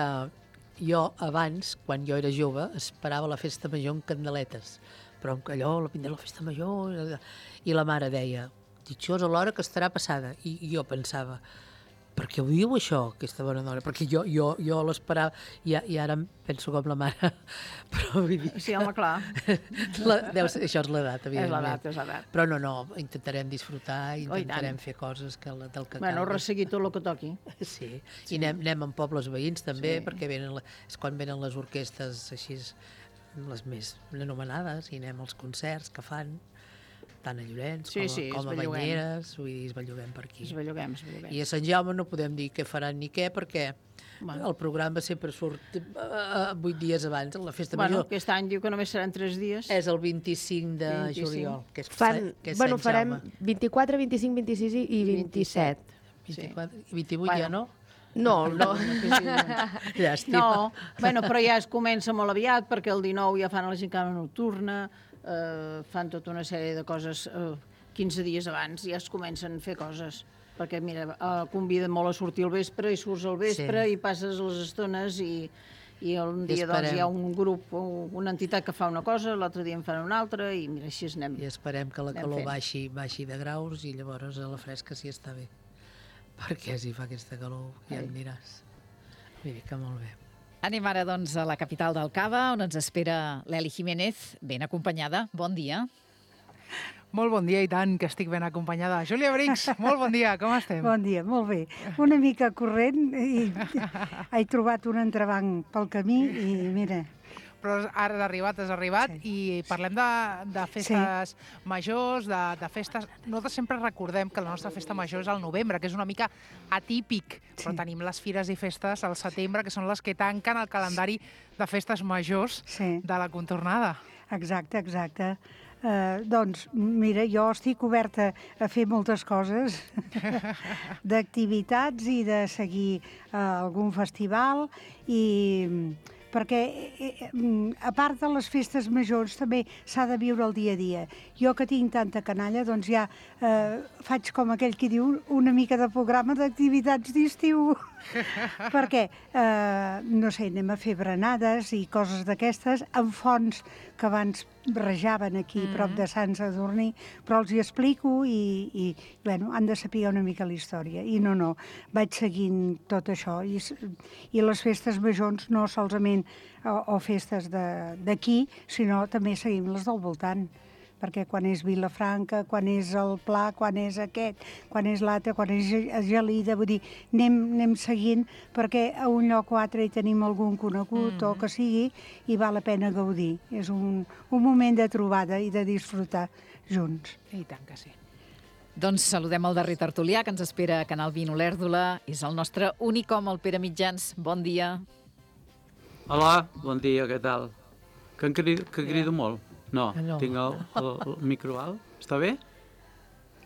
jo abans, quan jo era jove, esperava la festa major amb candeletes. Però amb allò, la vindrà la festa major... I la mare deia, ditxós a l'hora que estarà passada. I, i jo pensava, per què ho diu això, aquesta bona dona? Perquè jo, jo, jo l'esperava, i, i ara em penso com la mare. Però vull dir... Sí, home, clar. La, deu ser, això és l'edat, És evidentment. l'edat, és l'edat. Però no, no, intentarem disfrutar, Oh, i intentarem tant. fer coses que, la- del que Bueno, calgui. resseguir tot el que toqui. Sí, i anem, anem amb pobles veïns també, Sí. perquè venen, la- és quan venen les orquestes així, les més anomenades, i anem als concerts que fan, tant a Llorenç Sí, com, a- sí, com a es belluguem. Banyeres, vull dir, es belluguem per aquí. Es belluguem, es belluguem. I a Sant Jaume no podem dir què faran ni què, perquè Bueno. el programa sempre surt uh, vuit dies abans, la festa Bueno, major. aquest any diu que només seran tres dies. És el vint-i-cinc de vint-i-cinc. juliol, que és, Fan, que és bueno, Sant farem Jaume. vint-i-quatre, vint-i-cinc, vint-i-sis i vint-i-set. vint-i-quatre, vint-i-vuit ja no? No, no. Llàstima. No, bueno, però ja es comença molt aviat, perquè el dinou ja fan la gincana nocturna, eh, fan tota una sèrie de coses eh, quinze dies abans, ja es comencen a fer coses. Perquè, mira, eh, conviden molt a sortir al vespre i surts al vespre Sí. i passes les estones i, i un I dia doncs, esperem. hi ha un grup, o una entitat que fa una cosa, l'altre dia en fan una altra i mira, així es anem. I esperem que la Anem calor fent. baixi, baixi de graus i llavors a la fresca sí està bé. Perquè si fa aquesta calor ja em diràs. Vull dir que molt bé. Anem ara, doncs, a la capital del Cava, on ens espera l'Eli Jiménez, ben acompanyada. Bon dia. Molt bon dia, i tant, que estic ben acompanyada. Júlia Brix, molt bon dia, com estem? Bon dia, molt bé. Una mica corrent i he trobat un entrebanc pel camí i mira, Però ara has arribat, has arribat, Sí. i parlem de, de festes majors, de, de festes... Nosaltres sempre recordem que la nostra festa major és al novembre, que és una mica atípic, però Sí. tenim les fires i festes al setembre, que són les que tanquen el calendari de festes majors sí, de la contornada. exacte, exacte. Uh, doncs, mira, jo estic oberta a fer moltes coses, d'activitats i de seguir uh, algun festival i perquè, eh, mm, a part de les festes majors, també s'ha de viure el dia a dia. Jo que tinc tanta canalla, doncs ja eh, faig com aquell que diu una mica de programa d'activitats d'estiu. Perquè, eh, no sé, anem a fer berenades i coses d'aquestes en fonts que abans rajaven aquí mm -hmm. prop de Sant Sadurní, però els hi explico i, i bueno, han de saber una mica la història. I no, no, vaig seguint tot això. I, s- i les festes majors no solament o, o festes de- d'aquí, sinó també seguim les del voltant, perquè quan és Vilafranca, quan és el Pla, quan és aquest, quan és l'altre, quan és Ge- Gelida, vull dir, anem, anem seguint perquè a un lloc o altre hi tenim algun conegut mm. o que sigui i val la pena gaudir. És un, un moment de trobada i de disfrutar junts. I tant que sí. Doncs saludem el darrer tertulià que ens espera a Canal vint Olèrdola. És el nostre únic home, el Pere Mitjans. Bon dia. Hola, bon dia, què tal? Que, em crido, que crido molt? No, No. tinc el, el, el micro alt. Està bé?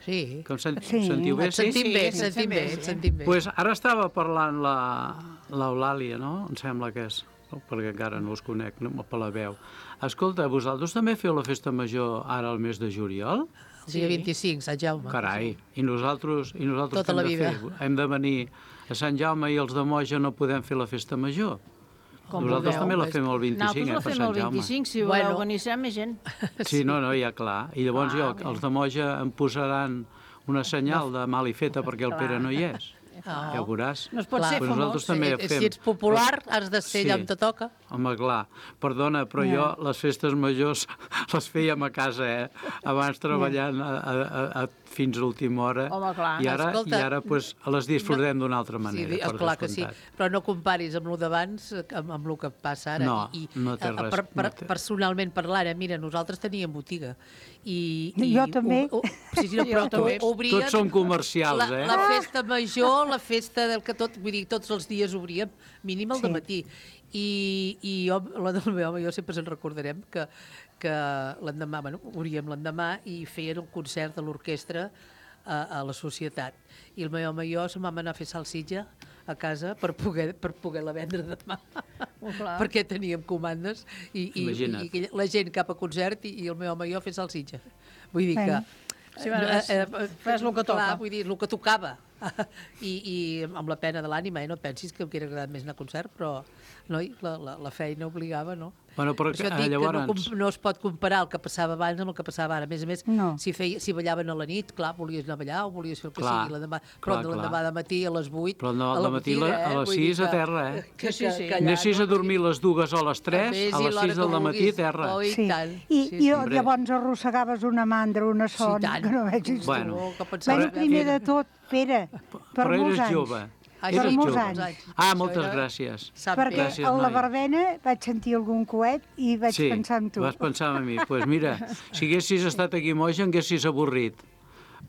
Sí, Que em sen, Sí. sentiu bé? et sentim sí, bé, sí, et sentim sí, bé, sí. et sentim bé. Pues ara estava parlant la l'Eulàlia, no? Em sembla que és, no? Perquè encara no us conec, no? Per la veu. Escolta, vosaltres també feu la festa major ara al mes de juliol? El dia vint-i-cinc, Sant Jaume. Carai, i nosaltres, i nosaltres Tota què la hem de vida. fer? Hem de venir a Sant Jaume i els de Moja no podem fer la festa major? Com Nosaltres vulgueu. també la fem el vint-i-cinc, Nosaltres eh, la per fem Sant el Jaume. vint-i-cinc, si Bueno. voleu venir, serà més gent. Sí, no, no, ja clar. I llavors Ah, jo, bé. els de Moja em posaran una senyal de mal i feta perquè el Pere no hi és. Oh. Ja ho veuràs. No es pot ser Però nosaltres també Si, fem... si ets popular, has de ser allà on te toca. Home, clar. Perdona, però jo les festes majors les fèiem a casa, eh? Abans treballant a, a, a, fins a última hora. Home, clar. I ara, Escolta, i ara pues, les disfrutem d'una altra manera, Sí, per clar que sí, descomptat. però no comparis amb el d'abans amb, amb el que passa ara. No, I, no té eh, res, Per, per, no té. Personalment parlant, eh, mira, nosaltres teníem botiga. I, i Jo també. O, o, sí, sí, no, però Jo també. o- obrien, Tots som comercials, la, eh? La festa major, la festa del que tot, vull dir, tots els dies obríem, mínim el Sí. dematí. I, i jo, la del meu home, jo sempre se'n recordarem que, que l'endemà, bueno, obríem l'endemà i feien un concert de l'orquestra a, a la societat. I el meu home i jo se'n vam anar a fer salsitxa a casa per poder, per poder-la vendre demà. Oh, clar. Perquè teníem comandes i, i, Imagina't. i, i la gent cap a concert i, i el meu home i jo a fer salsitxa. Vull dir que... Sí, bueno, és- fes el que toca. Clar, vull dir, el que tocava. I, i amb la pena de l'ànima, eh? No et pensis que em hauria agradat més anar a concert, però noi, la, la, la feina obligava, no? Bueno, però Per això et que, dic llavors... que no, com- no es pot comparar el que passava abans amb el que passava ara. A més a més, No. si, feia, si ballaven a la nit, clar, volies anar a ballar o volies fer el que Clar, sigui l'endemà, clar, però de l'endemà clar. de matí a les vuit, Però no, a la al matí botiga, a les vull dir sis a que- terra, eh? Que, Sí, que, sí. que allà, Anessis a no? dormir les dues o les tres, Vés a i les l'hora sis que del matí a vulguis. terra. Oh, i Sí. tant. I, Sí, i sí. hombre. llavors arrossegaves una mandra, una son, tant. que no vegis tu. Bueno, Oh, que pensava Bueno, que- primer de tot, Pere, per Però molts eres anys. jove. Ai, Per Eres molts jove. anys. Ah, Això moltes era- gràcies. Sant Perquè Pere. Gràcies, a la noi. verbena vaig sentir algun coet i vaig Sí, pensar en tu. vas pensar en mi. Doncs pues mira, si haguessis estat aquí moja, em haguessis avorrit.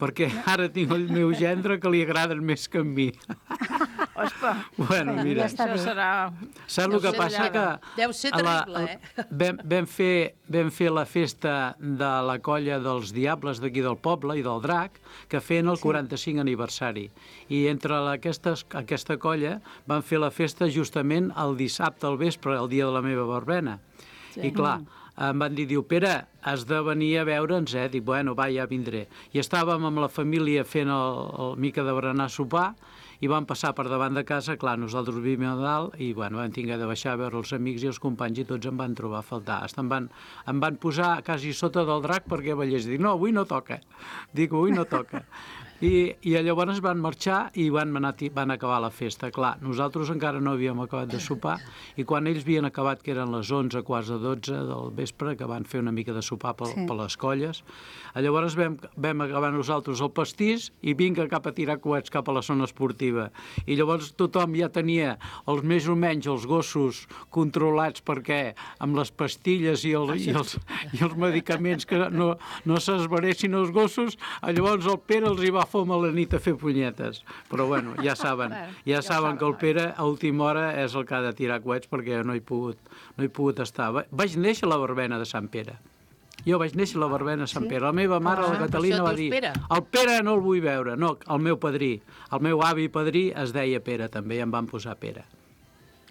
Perquè ara tinc el meu gendre que li agraden més que a mi. Ospa, Bueno, Ja mira, està això bé. serà... saps el Deu que ser passa? llarg. Que Deu ser a la- terrible, eh? Vam, vam, fer, vam fer la festa de la colla dels Diables d'aquí del poble i del Drac, que feien el quaranta-cinc aniversari. I entre la, aquestes, aquesta colla van fer la festa justament el dissabte al vespre, el dia de la meva verbena. Sí. I clar, em van dir, diu, Pere, has de venir a veure'ns, eh? Dic, bueno, va, ja vindré. I estàvem amb la família fent el, el mica de berenar sopar i vam passar per davant de casa, clar, nosaltres vivim a dalt i, bueno, vam tinguer de baixar a veure els amics i els companys i tots em van trobar a faltar. Hasta em van, em van posar quasi sota del Drac perquè ballés. Dic, no, avui no toca. Dic, avui no toca. I, i llavors van marxar i van, anar, van acabar la festa. Clar, nosaltres encara no havíem acabat de sopar i quan ells havien acabat, que eren les onze, quarts de dotze del vespre, que van fer una mica de sopar per, Sí. per les colles, llavors vam, vam acabar nosaltres el pastís i vinga cap a tirar coets cap a la zona esportiva. I llavors tothom ja tenia els més o menys els gossos controlats perquè amb les pastilles i, el, i, els, i els medicaments que no, no s'esveressin els gossos, llavors el Pere els hi va fom a la nit a fer punyetes. Però bueno, ja saben, ja saben que el Pere a última hora és el que ha de tirar coets perquè no he pogut, no he pogut estar. Va- Vaig néixer a la verbena de Sant Pere. Jo vaig néixer a la verbena de Sant Pere. La meva mare, Ah, la per Catalina, això va et dir dius Pere. el Pere no el vull veure. No, el meu padrí. El meu avi padrí es deia Pere, també, i em van posar Pere.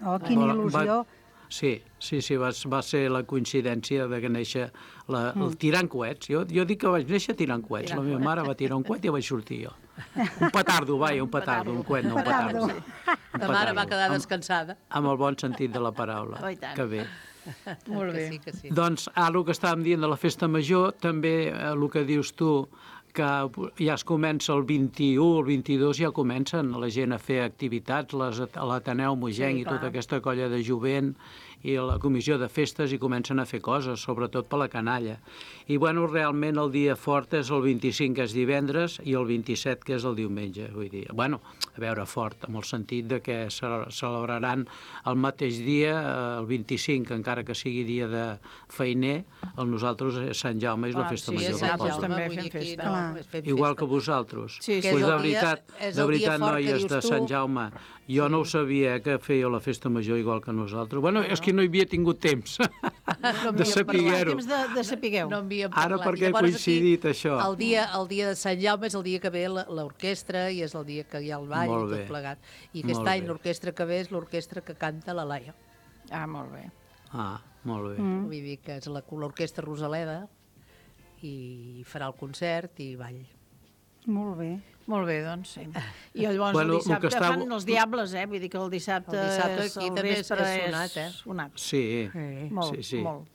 Oh, quina Va- il·lusió. va- Sí, sí, sí, va, va ser la coincidència de que néixer la, el tirant coets. Jo, jo dic que vaig néixer tirant coets. La meva mare va tirar un coet i vaig sortir jo. Un petardo, vaja, un petardo, un coet, no un petardo. Petardo. Un La mare va petardo. quedar Amb- descansada. Amb el bon sentit de la paraula. Oh, i tant. Que bé. Molt Que bé. sí, que sí. Doncs ara el que estàvem dient de la festa major, també eh, el que dius tu, que ja es comença el vint-i-u, el vint-i-dos ja comencen la gent a fer activitats, les, a l'Ateneu Mogenc Sí, i tota clar. aquesta colla de jovent i la comissió de festes i comencen a fer coses, sobretot per la canalla. I bueno, realment el dia fort és el vint-i-cinc, que és divendres, i el vint-i-set, que és el diumenge. Vull dir, bueno, a veure, fort, amb el sentit de que se celebraran el mateix dia, eh, el vint-i-cinc, encara que sigui dia de feiner, el nosaltres és Sant Jaume, és la Ah, festa sí, major és del Sant poble. Jaume. també vull fem dir, aquí festa. no, Clar. fem Igual festa. que vosaltres. Sí, sí. Que és Pues el de dia- veritat, és de el dia veritat, fort que noies dius de tu. Sant Jaume, jo no ho sabia que fèieu la festa major igual que nosaltres. Bueno, és que no hi havia tingut temps No de havíem saber-ho. Temps de, de sapigueu. No havíem Ara parlat. perquè ha Llavors, coincidit aquí, això. El dia, el dia de Sant Jaume és el dia que ve la- l'orquestra i és el dia que hi ha el ball Molt i bé. tot plegat. I aquest Molt any bé. l'orquestra que ve és l'orquestra que canta la Laia. Ah, molt bé. Ah, molt bé. Mm. Vull dir que és la- l'orquestra Rosaleda i farà el concert i ball. Molt bé. Molt bé, doncs, sí. I llavors Bueno, el el dissabte que està- fan els diables, eh? Vull dir que el dissabte, El dissabte és, aquí el també és- vespre és sonat, eh? sonat. Sí, Sí, molt, sí, sí. molt.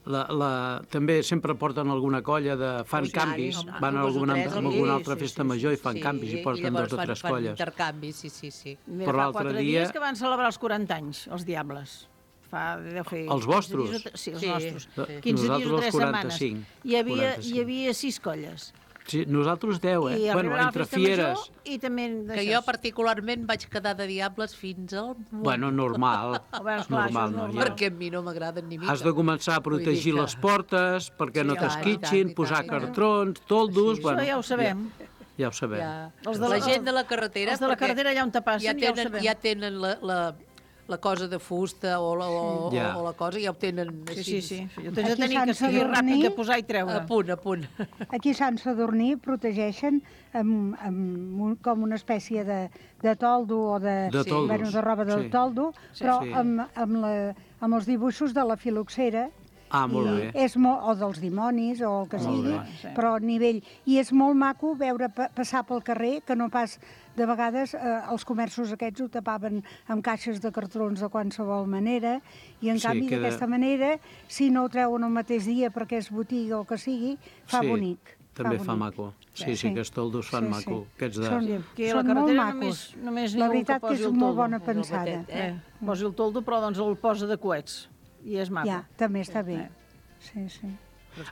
La, la, també sempre porten alguna colla de... fan Oh, canvis, tant, van a dos o alguna, tres, a sí, alguna altra sí, festa sí, major sí, i fan sí, canvis i porten llavors dos o fan- tres fan colles. intercanvis, sí, sí, sí. Mira, Però fa l'altre quatre dia- dies que van celebrar els quaranta anys, els Diables. Fa, deu fer Els quinze vostres? dies o tre- Sí, els Sí, nostres. sí. quinze dies Nosaltres o els tres setmanes. quaranta-cinc. Hi havia, quaranta-cinc. hi havia sis colles. Sí, nosaltres deu, eh? I Bueno, arribarà la entre festa fieres... major i també Que d'això. jo particularment vaig quedar de diables fins al... Bueno, normal. Bueno, esclar, normal, això és no? normal. Perquè a mi no m'agraden ni mica. Has de començar a protegir Vull dir que- les portes perquè Sí, no i tant, t'esquitxin, i tant, i posar tant, i tant. cartrons, toldos... Sí, bueno, Això ja ho sabem. Ja, ja ho sabem. Ja. Els de la, la- gent de la carretera... els de la perquè carretera allà on te passen, ja ja ho tenen, sabem. ja tenen la, la, la cosa de fusta o la, o, Ja. o, o la cosa, ja ho tenen Sí, així. sí, sí. Jo tens de Aquí tenir que Sant seguir Sadurní- ràpid que posar i treure. A punt, a punt. Aquí a Sant Sadurní protegeixen amb, amb un, com una espècie de, de toldo o de, De toldos, bueno, de roba del sí. toldo, però sí. amb, amb, la, amb els dibuixos de la filoxera. Ah, molt I bé. És molt, o dels dimonis, o el que Molt sigui, bé. Sí. però a nivell... I és molt maco veure pa passar pel carrer, que no pas... De vegades eh, els comerços aquests ho tapaven amb caixes de cartrons de qualsevol manera, i en Sí, canvi queda- d'aquesta manera, si no ho treuen el mateix dia perquè és botiga o el que sigui, fa Sí, bonic. També fa bonic. maco. Sí, sí, aquests toldos fan Sí, sí. maco. Aquests de... Són, Aquí a la són molt carretera macos. només, només La n'hi ha un veritat que posi és el molt toldo. bona el pensada. batet, eh? Eh, posi el toldo, però doncs el posa de coets. I és maco. Ja, també està bé. Eh. Sí, sí.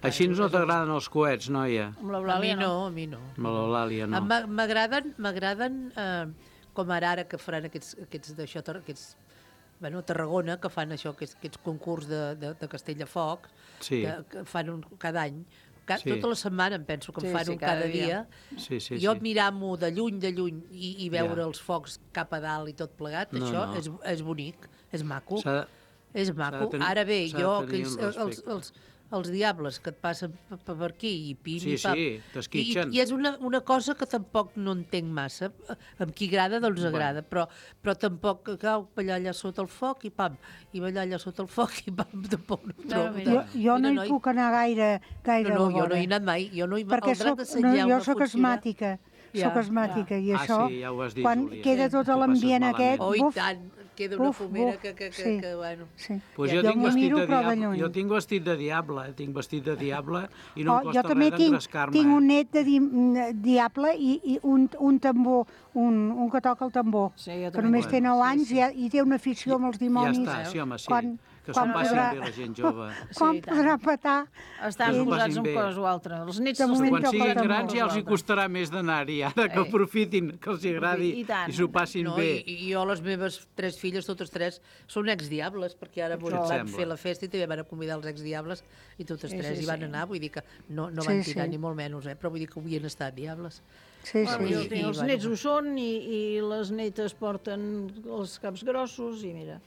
Així no t'agraden els coets, noia? Amb A mi l'Eulàlia no, a mi no. Amb l'Eulàlia no. Em m'a- M'agraden, m'agraden eh, com ara ara que faran aquests, aquests d'això, tar- aquests, bueno, a Tarragona, que fan això, aquests, aquests concurs de, de, de Castelldefort, Sí. que, que fan un, cada any. Ca, Sí. Tota la setmana em penso que en Sí, fan sí, un cada cada dia. dia. Sí, sí, jo sí. mirar-m'ho de lluny, de lluny, i, i veure Ja. els focs cap a dalt i tot plegat, No, això no. És, és bonic, és maco. S'ha de- És s'ha de maco. tenir- Ara bé, s'ha de jo, tenir aquells, un els, respecte. els, els diables que et passen per, per aquí i pim Sí, i pam. sí, t'esquitxen. I, I és una, una cosa que tampoc no entenc massa. Amb qui agrada, doncs Bueno. agrada, però, però tampoc que cau ballar allà sota el foc i pam, i ballar allà sota el foc i pam, tampoc no ho trobo. mira. Jo, jo no Mira, hi puc anar gaire, gaire No, no, a la jo no vora. hi he anat mai. Jo no hi, Perquè el drac soc, de no, Sant Lleu jo no sóc funciona. asmàtica, Ja, sóc asmàtica, i Ah, això, sí, ja ho has dit, quan Júlia. queda Sí. tot Ho passes l'ambient malament. aquest, Oh, i buf, tant, queda una buf, fumera buf, que, que, que, sí. que, bueno... sí. Pues Ja. jo, Jo tinc m'ho vestit miro, de però de diable, lluny. jo tinc vestit de diable, eh? tinc vestit de diable i no Oh, em costa jo també res tinc, d'engrescar-me. tinc un net de di diable i, i un, un tambor, un, un que toca el tambor, Sí, jo que també només tinc. té nou Sí, anys sí. i, i té una afició amb els dimonis. Ja està, sí, home, sí. Quan- que s'ho quan passin podrà- bé la gent jove. Quan Sí, i tant. podrà petar? Estan Que s'ho posats passin en bé. cosa o altra. Els nets De els moment Quan toca siguin tambor. grans ja els hi costarà més d'anar-hi, ara que Eh. aprofitin, que els hi agradi I tant. i s'ho passin No, bé. i, i jo, les meves tres filles, totes tres, són exdiables, perquè ara Què et van sembla? fer la festa i també van a convidar els exdiables i totes Sí, tres sí, hi van sí. anar, vull dir que no, no Sí, van tirar sí. ni molt menys, eh? Però vull dir que havien estat diables. Sí, Bueno, sí. jo I- tinc, i, els bueno. nets ho són i, i les netes porten els caps grossos i mira.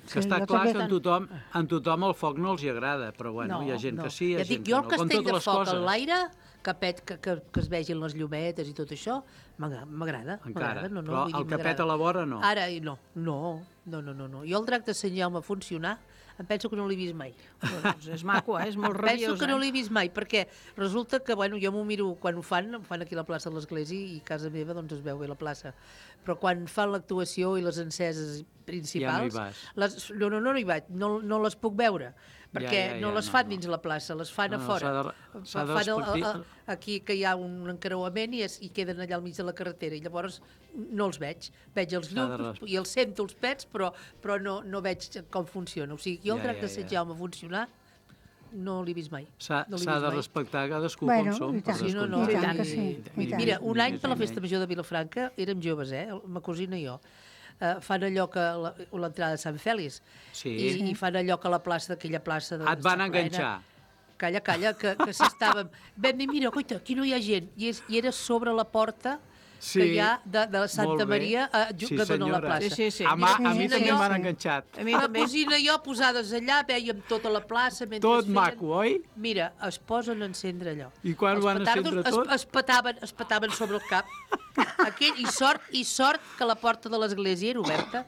Que està jo clar també que en tant. tothom, en tothom el foc no els hi agrada, però bueno, No, hi ha gent no. que sí, hi ha Ja gent dic, que jo no. el Com castell totes de les foc coses. en l'aire, que, pet, que, que, que es vegin les llumetes i tot això, m'agra- m'agrada. Encara, m'agrada, no, no, però vull dir, el que m'agrada. peta a la vora no. Ara, no, no, no, no, no, no. Jo el drac de Sant Jaume funcionar, em penso que no l'he vist mai. Doncs és maco, eh? És molt Penso rabiós. que no eh? l'he vist mai, perquè resulta que, bueno, jo m'ho miro quan ho fan, ho fan aquí a la plaça de l'Església i a casa meva doncs es veu bé la plaça. Però quan fan l'actuació i les enceses principals... Ja no hi vas. Les, no, no, no, no hi vaig, no, no les puc veure, perquè ja, ja, no les no, fan no. dins la plaça, les fan No, a no, fora. s'ha de- s'ha de Fan el- el- respectar- el- aquí que hi ha un encreuament i, es, i queden allà al mig de la carretera i llavors no els veig. Veig els S'ha de llums res- i els sento els pets, però, però no, no veig com funciona. O sigui, jo el Ja, drac ja, de Sant ja. Jaume funcionar no l'he vist mai. S'ha No l'he s'ha vist de mai. respectar cadascú Bueno, com som. i tant. per Sí, no, no, I descomptat. tant que i- sí, Ni- i tant. Mira, ni un més any per la ni festa menys. major de Vilafranca, érem joves, eh? Ma cosina i jo. Uh, fan allò que la- l'entrada de Sant Fèlix Sí. i, i fan allò que la plaça, aquella plaça... De, Et van està plena. enganxar. Calla, calla, que, que s'estàvem... Vam dir, mira, coita, aquí no hi ha gent. I, és, i era sobre la porta Sí, que hi ha de, de la Santa molt bé. Maria a, ju- Sí, que dona a la senyora. plaça. Sí, sí, sí. A, ma, a mi Sí, també sí, em van sí. enganxat. A mi Ma també. cosina i jo posades allà, vèiem tota la plaça mentre Tot feien... maco, oi? Mira, es posen a encendre allò. I quan Els ho van petardos encendre es, tot? es, petaven, es petaven sobre el cap. Aquell, i, sort, I sort que la porta de l'església era oberta.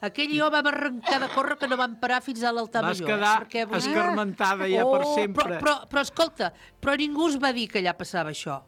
Aquell i jo vam arrencar de córrer que no vam parar fins a l'altar Vas major. quedar eh? Perquè, vull dir- escarmentada ja per Oh, sempre. Però, però, però escolta, però ningú us va dir que allà passava això.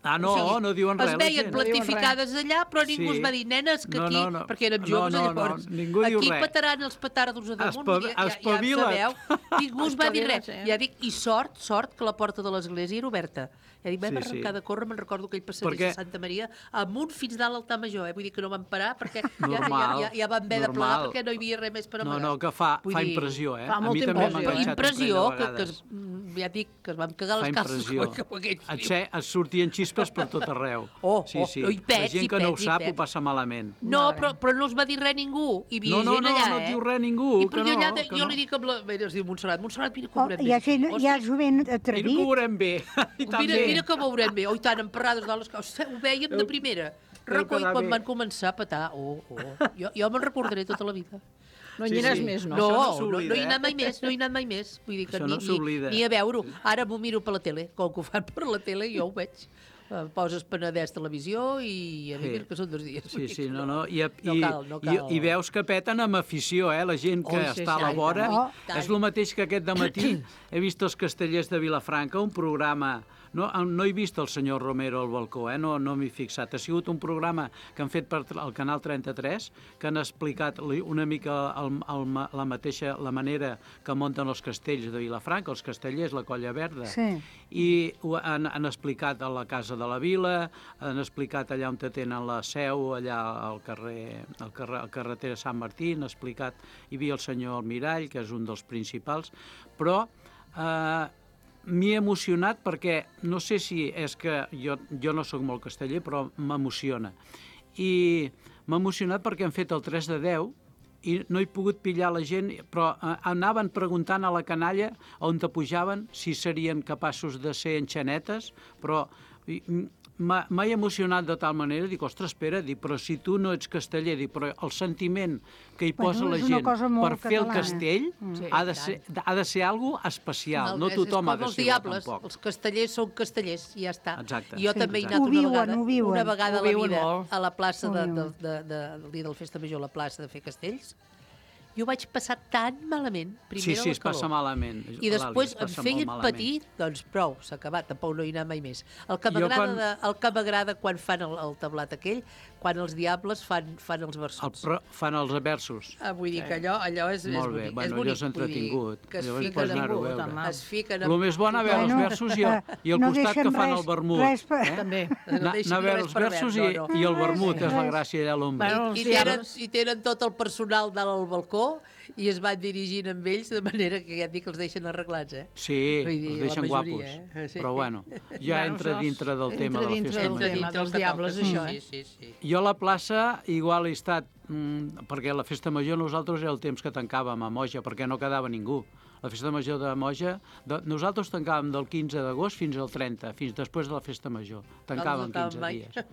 Ah, no, o sigui, no diuen res. Es veien plantificades allà, però ningú Sí. es va dir, nenes, que No, aquí, no, no. perquè érem No, joves, no, no, llavors, ningú diu aquí res. petaran els petardos a damunt, Espa- ja, ja, ja en espavila't. sabeu. Ningú es va dir res. Espavila't, eh? Ja dic, i sort, sort, que la porta de l'església era oberta. Ja dic, vam Sí, sí. arrencar de córrer, me'n recordo aquell passadís Perquè- de Santa Maria, amunt fins dalt al l'altar major, eh? Vull dir que no vam parar, perquè ja, ja, Normal, ja, ja vam haver de plegar, normal. perquè no hi havia res més per No, amagar. no, que fa, Vull fa dir, impressió, eh? fa A mi molta també m'ha impressió, Però enganxat un impressió, parell de que, que es, vegades. mm, ja dic, que es van cagar Fa les calces impressió. com aquell Et, fiu. sé, et sortien xispes per tot arreu. Oh, sí, oh, sí. oh, i pets, La gent i que no ho pets, i sap pets. ho passa malament. No, però, però no els va dir res ningú. Hi havia No, no, gent no, allà, no et eh? diu res ningú, I que però jo, no, allà, que jo no. li dic amb la... Mira, es diu Montserrat, Montserrat, mira que Oh, veurem hi ha, bé. gent, hi ha jovent Mira que atrevit. ho veurem bé. I tant Mira, bé. mira que veurem bé. Oi, tant, emparrades de les coses. Ho vèiem de primera. deu Recull, quedar quan bé. van començar a petar. Oh, oh. Jo, jo me'n recordaré tota la vida. No hi Sí, aniràs sí. més, no? No, Això no no, no, s'oblida, hi he anat eh? mai més, no hi he anat mai més. Vull dir que Això ni, no s'oblida. ni, ni a veure-ho. Ara m'ho miro per la tele, com que ho fan per la tele, jo ho veig. Eh, Poses Penedès Televisió i a mi Sí. que són dos dies. Sí, sí, no, no. I, No i, cal, no i, cal. i veus que peten amb afició, eh? La gent que Oh, sí, està sí, a la i vora. tant, i tant. És el mateix que aquest dematí he vist els Castellers de Vilafranca, un programa... No, no he vist el senyor Romero al balcó, eh? no, no m'hi he fixat. Ha sigut un programa que han fet per el Canal trenta-tres, que han explicat li- una mica el, el, ma- la mateixa la manera que munten els castells de Vilafranca, els castellers, la Colla Verda. Sí. I ho han, han explicat a la Casa de la Vila, han explicat allà on tenen la seu, allà al carrer, al carrer, al carreter de Sant Martí, han explicat, hi havia el senyor Almirall, que és un dels principals, però eh, m'he emocionat perquè, no sé si és que jo, jo no sóc molt casteller, però m'emociona. I m'ha emocionat perquè han fet el tres de deu i no he pogut pillar la gent, però eh, anaven preguntant a la canalla on te pujaven si serien capaços de ser enxanetes, però i, m'ha m'ha emocionat de tal manera, dic, ostres, espera, dic, però si tu no ets casteller, dic, però el sentiment que hi posa Bueno, la és una gent cosa molt per fer el catalana. castell Sí, ha, de i ser, tant. ha de ser algo especial, no és- tothom és ha de com els ser diables, tampoc. els castellers són castellers, i ja està. Exacte. Jo Sí, també he exacte. anat Ho una viuen, vegada, ho viuen. una vegada Ho a la viuen vida molt. a la plaça Ho de, de, viuen. de, de, del dia del Festa Major, la plaça de fer castells, i ho vaig passar tan malament, primer Sí, sí, la es passa calor. malament. I Lali, després es em passa feien molt malament. patir, doncs prou, s'ha acabat, tampoc no hi he anat mai més. El que Jo m'agrada quan- de- el que m'agrada quan fan el, el tablat aquell, quan els diables fan, fan els El, versos. pro, fan els versos. Ah, vull dir que allò, allò és, és Molt bé, bonic. bueno, és allò bonic, és vull dir entretingut. Que es Llavors fiquen, pots anar-ho a en- veure. es fiquen El més bo anar a veure els Bueno, versos i, eh, i al no costat que deixen fan res- el vermut. res per- eh? També. No Anar deixen anar a veure res els per versos i, veure, no, no. i el vermut és la Res. gràcia allà a l'ombra. Bueno, I, els i, tenen, diables. I tenen tot el personal dalt al balcó i es van dirigint amb ells de manera que ja et dic que els deixen arreglats, eh? Sí, Vull dir, els la deixen majoria, guapos. eh? Sí. Però bueno, ja Bueno, entra això dintre del entra tema de la dintre festa del major. tema dels diables, això, eh? Sí, sí, sí. Jo a la plaça igual he estat, mm, perquè la festa major nosaltres era el temps que tancàvem a Moja, perquè no quedava ningú. La festa major de Moja, de, nosaltres tancàvem del quinze d'agost fins al trenta, fins després de la festa major. Tancàvem No acabem quinze mai. dies.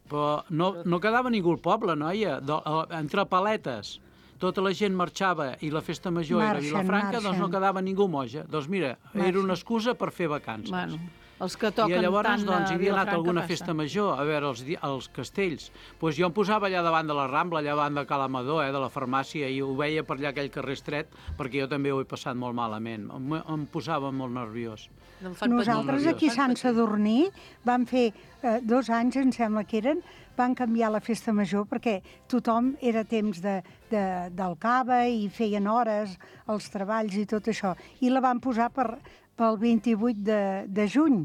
Però no, no quedava ningú al poble, noia. De, entre paletes, tota la gent marxava i la festa major era a Marxen, Vilafranca, doncs no marxen. quedava ningú a Moja. Doncs mira, era una excusa per fer vacances. Bueno, els que toquen I llavors tant doncs, a hi havia anat Vilafranca alguna passa. festa major a veure els, di- els castells. Pues jo em posava allà davant de la Rambla, allà davant de Calamador, eh, de la farmàcia, i ho veia per allà aquell carrer estret, perquè jo també ho he passat molt malament. Em, em posava molt nerviós. No em fan patir. Nosaltres nerviós. aquí a Sant Sadurní vam fer eh, dos anys, em sembla que eren, van canviar la festa major perquè tothom era temps de, de, del cava i feien hores, els treballs i tot això. I la van posar per, pel vint-i-vuit de, de juny,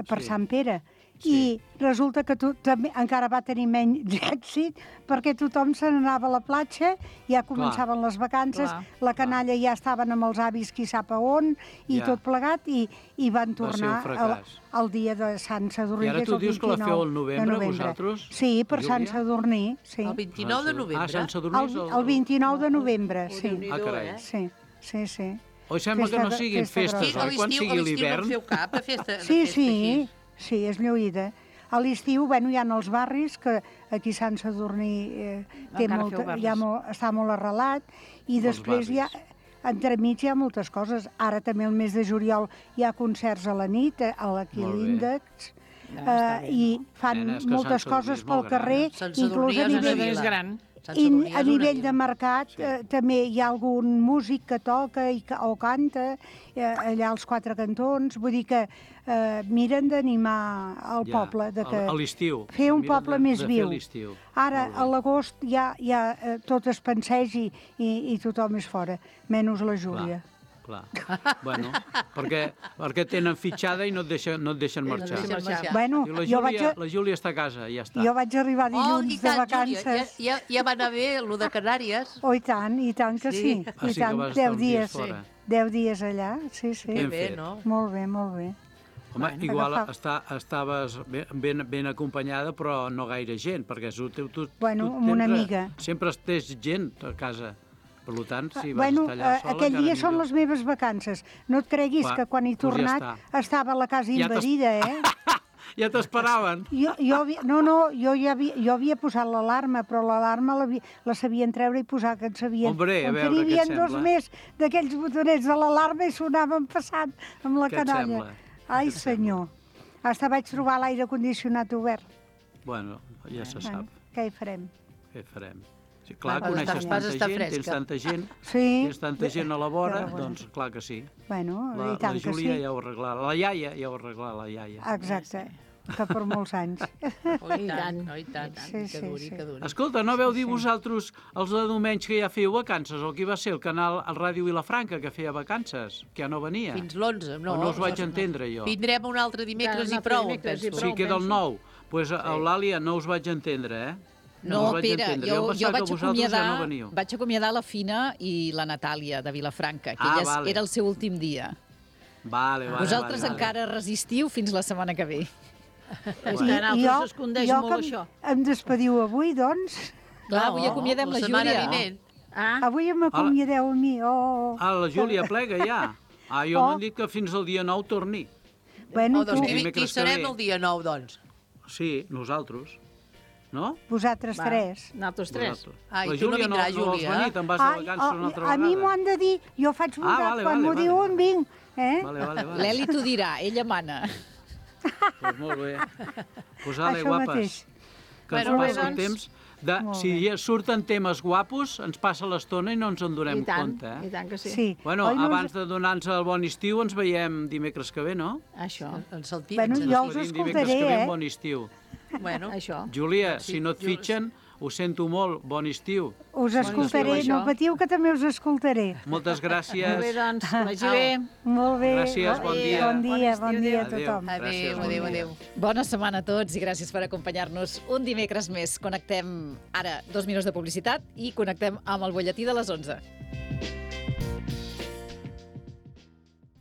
per Sí. Sant Pere. Sí. I resulta que tu, també, encara va tenir menys èxit perquè tothom se n'anava a la platja, ja començaven les vacances, Clar. la canalla ja estaven amb els avis qui sap a on, i Ja. tot plegat, i, i van Va ser un tornar al, fracàs. al dia de Sant Sadurní. I ara que és tu el dius que la feu al vint-i-nou novembre, de vosaltres, Sí, per Sant Júlia? Sadurní, sí. El vint-i-nou de novembre. Ah, Sant Sadurní El, és el... el vint-i-nou de novembre, Oh, sí. Déu-n'hi-do, Ah, carai. eh? Sí, sí, sí. Oi, sembla que Festa no de- siguin festa festes, grossa. A oi? Quan l'estiu sigui a l'estiu no l'hivern... en feu cap, de festa, de Sí, festa sí, així. sí, és lluïda. A l'estiu, bueno, hi ha els barris, que aquí Sant Sadurní eh, té Encara molta, feu barris. hi ha molt, està molt arrelat, i després hi ha, entremig hi ha moltes coses. Ara també el mes de juliol hi ha concerts a la nit, eh, a l'Aquí Molt bé. l'Índex, Ja, està eh, bé, i fan Nena, és que moltes Sant Sadurní coses és pel molt gran. carrer, Sant Sadurní inclús a és una nivell... vila. És gran. Sant I Sadurní a és una nivell vila. de mercat Sí. eh, també hi ha algun músic que toca i ca o canta eh, allà als Quatre Cantons. Vull dir que eh, miren d'animar el Ja, poble. De que a l'estiu. fer un Miren poble de- més de fer viu. l'estiu. Ara, Molt a bé. l'agost ja, ja eh, tot es pensegi i, i tothom és fora, menys la Júlia. Clar. Bueno, perquè, perquè tenen fitxada i no et deixen, no et deixen no et marxar. deixen marxar. Bueno, I la jo vaig, Júlia, a, la Júlia està a casa, ja està. jo vaig arribar Oh, dilluns i de tant, Júlia, vacances. ja, ja, ja va anar bé, el de Canàries. Oh, i tant, i tant que sí. Sí. Ah, I sí que tant, vas estar deu uns dies dies. fora. Deu dies allà, sí, sí. Ben Que bé, fet. no? Molt bé, molt bé. Home, Bueno, igual agafa- està, estaves ben, ben, ben acompanyada, però no gaire gent, perquè tu, tu, tu, Bueno, tu amb una tens- amiga. Sempre tens gent a casa. Per tant, si vas bueno, estar allà eh, sola... aquell encara dia són millor. les meves vacances. No et creguis Clar, que quan he doncs ja tornat està. estava la casa Ja t'has- invadida, eh? Ja t'esperaven. Jo, jo havia, no, no, jo ja havia, jo havia posat l'alarma, però l'alarma la, la sabien treure i posar, que en sabien. Hombre, a Com que veure, n'hi què et havia dos sembla? més d'aquells botonets de l'alarma i sonaven passant amb la Què et canalla. sembla? Ai, Què et senyor. Hasta vaig trobar l'aire condicionat obert. Bueno, ja se sap. Bueno, què hi farem? Què farem? Sí, clar, Vas coneixes estar- vas tanta estar gent, tens fresca. tanta gent, Sí. tens tanta gent a la vora, Però bueno. doncs clar que sí. Bueno, La, i la tant que Júlia sí. ja ho arreglarà. La iaia ja ho arreglarà, la iaia. Exacte, que per molts anys. Oh, i tant, oh, i tant. Sí, que sí, duri, sí. que duri. Escolta, no veu dir vosaltres els de diumenge que ja fèieu vacances? O qui va ser el canal, el Ràdio Vilafranca, que feia vacances? Que ja no venia? Fins l'onze, no. O no us vaig entendre, jo? Vindrem un altre dimecres Un i altre prou, em dimecres i penso. Sí, queda el nou. Doncs pues, Eulàlia, no us vaig entendre, eh? No, us vaig Pere, entendre. jo, em jo pensava vaig, que vosaltres ja acomiadar, no veníeu. vaig acomiadar la Fina i la Natàlia de Vilafranca, que Ah, elles, vale. era el seu últim dia. Vale, vale, Vosaltres vale, encara resistiu fins la setmana que ve. És que en altres s'escondeix jo molt que això. em despediu avui, doncs. Clar, avui acomiadem la, la setmana Júlia. vinent. Ah, Avui m'acomiadeu a mi. Oh. Ah, la Júlia plega ja. Ah, jo Oh. m'han dit que fins al dia nou torni. Bueno, Oh, doncs tu, qui, qui Dimecres que serem ve. el dia nou, doncs? Sí, nosaltres. No? vosaltres va, tres. nosaltres tres. Vosaltres. Ai, la tu no Júlia no, vindràs, no vols Júlia, venir, eh? te'n vas de Ai, vacances una oh, altra a vegada. mi m'ho han de dir, jo faig Ah, votar, vale, quan vale, m'ho vale. diuen vinc. Eh? Vale, vale, vale. L'Eli t'ho dirà, ella mana. Pues molt bé. Pues ale, Això guapes. mateix. Que ens Bueno, passa el doncs. temps. De, Molt si bé. ja surten temes guapos, ens passa l'estona i no ens en donem I tant, compte. i Eh? tant que sí. Sí. Bueno, Oi, no ens- abans de donar-nos el bon estiu, ens veiem dimecres que ve, no? Això, En Saltí. Bueno, ens- jo us Despedim dimecres escoltaré, que ve, eh? bon estiu. Bueno, això. Júlia, Sí, si no et jo- fitxen, ho sento molt, bon estiu. Us escoltaré, estiu, no això. patiu que també us escoltaré. Moltes gràcies. Molt bé, doncs, que vagi bé. Molt bé. Gràcies, bon dia. Bon dia, bon dia a Adéu. tothom. adéu, Gràcies, bon adéu, dia. adéu. Bona setmana a tots i gràcies per acompanyar-nos un dimecres més. Connectem ara dos minuts de publicitat i connectem amb el butlletí de les onze.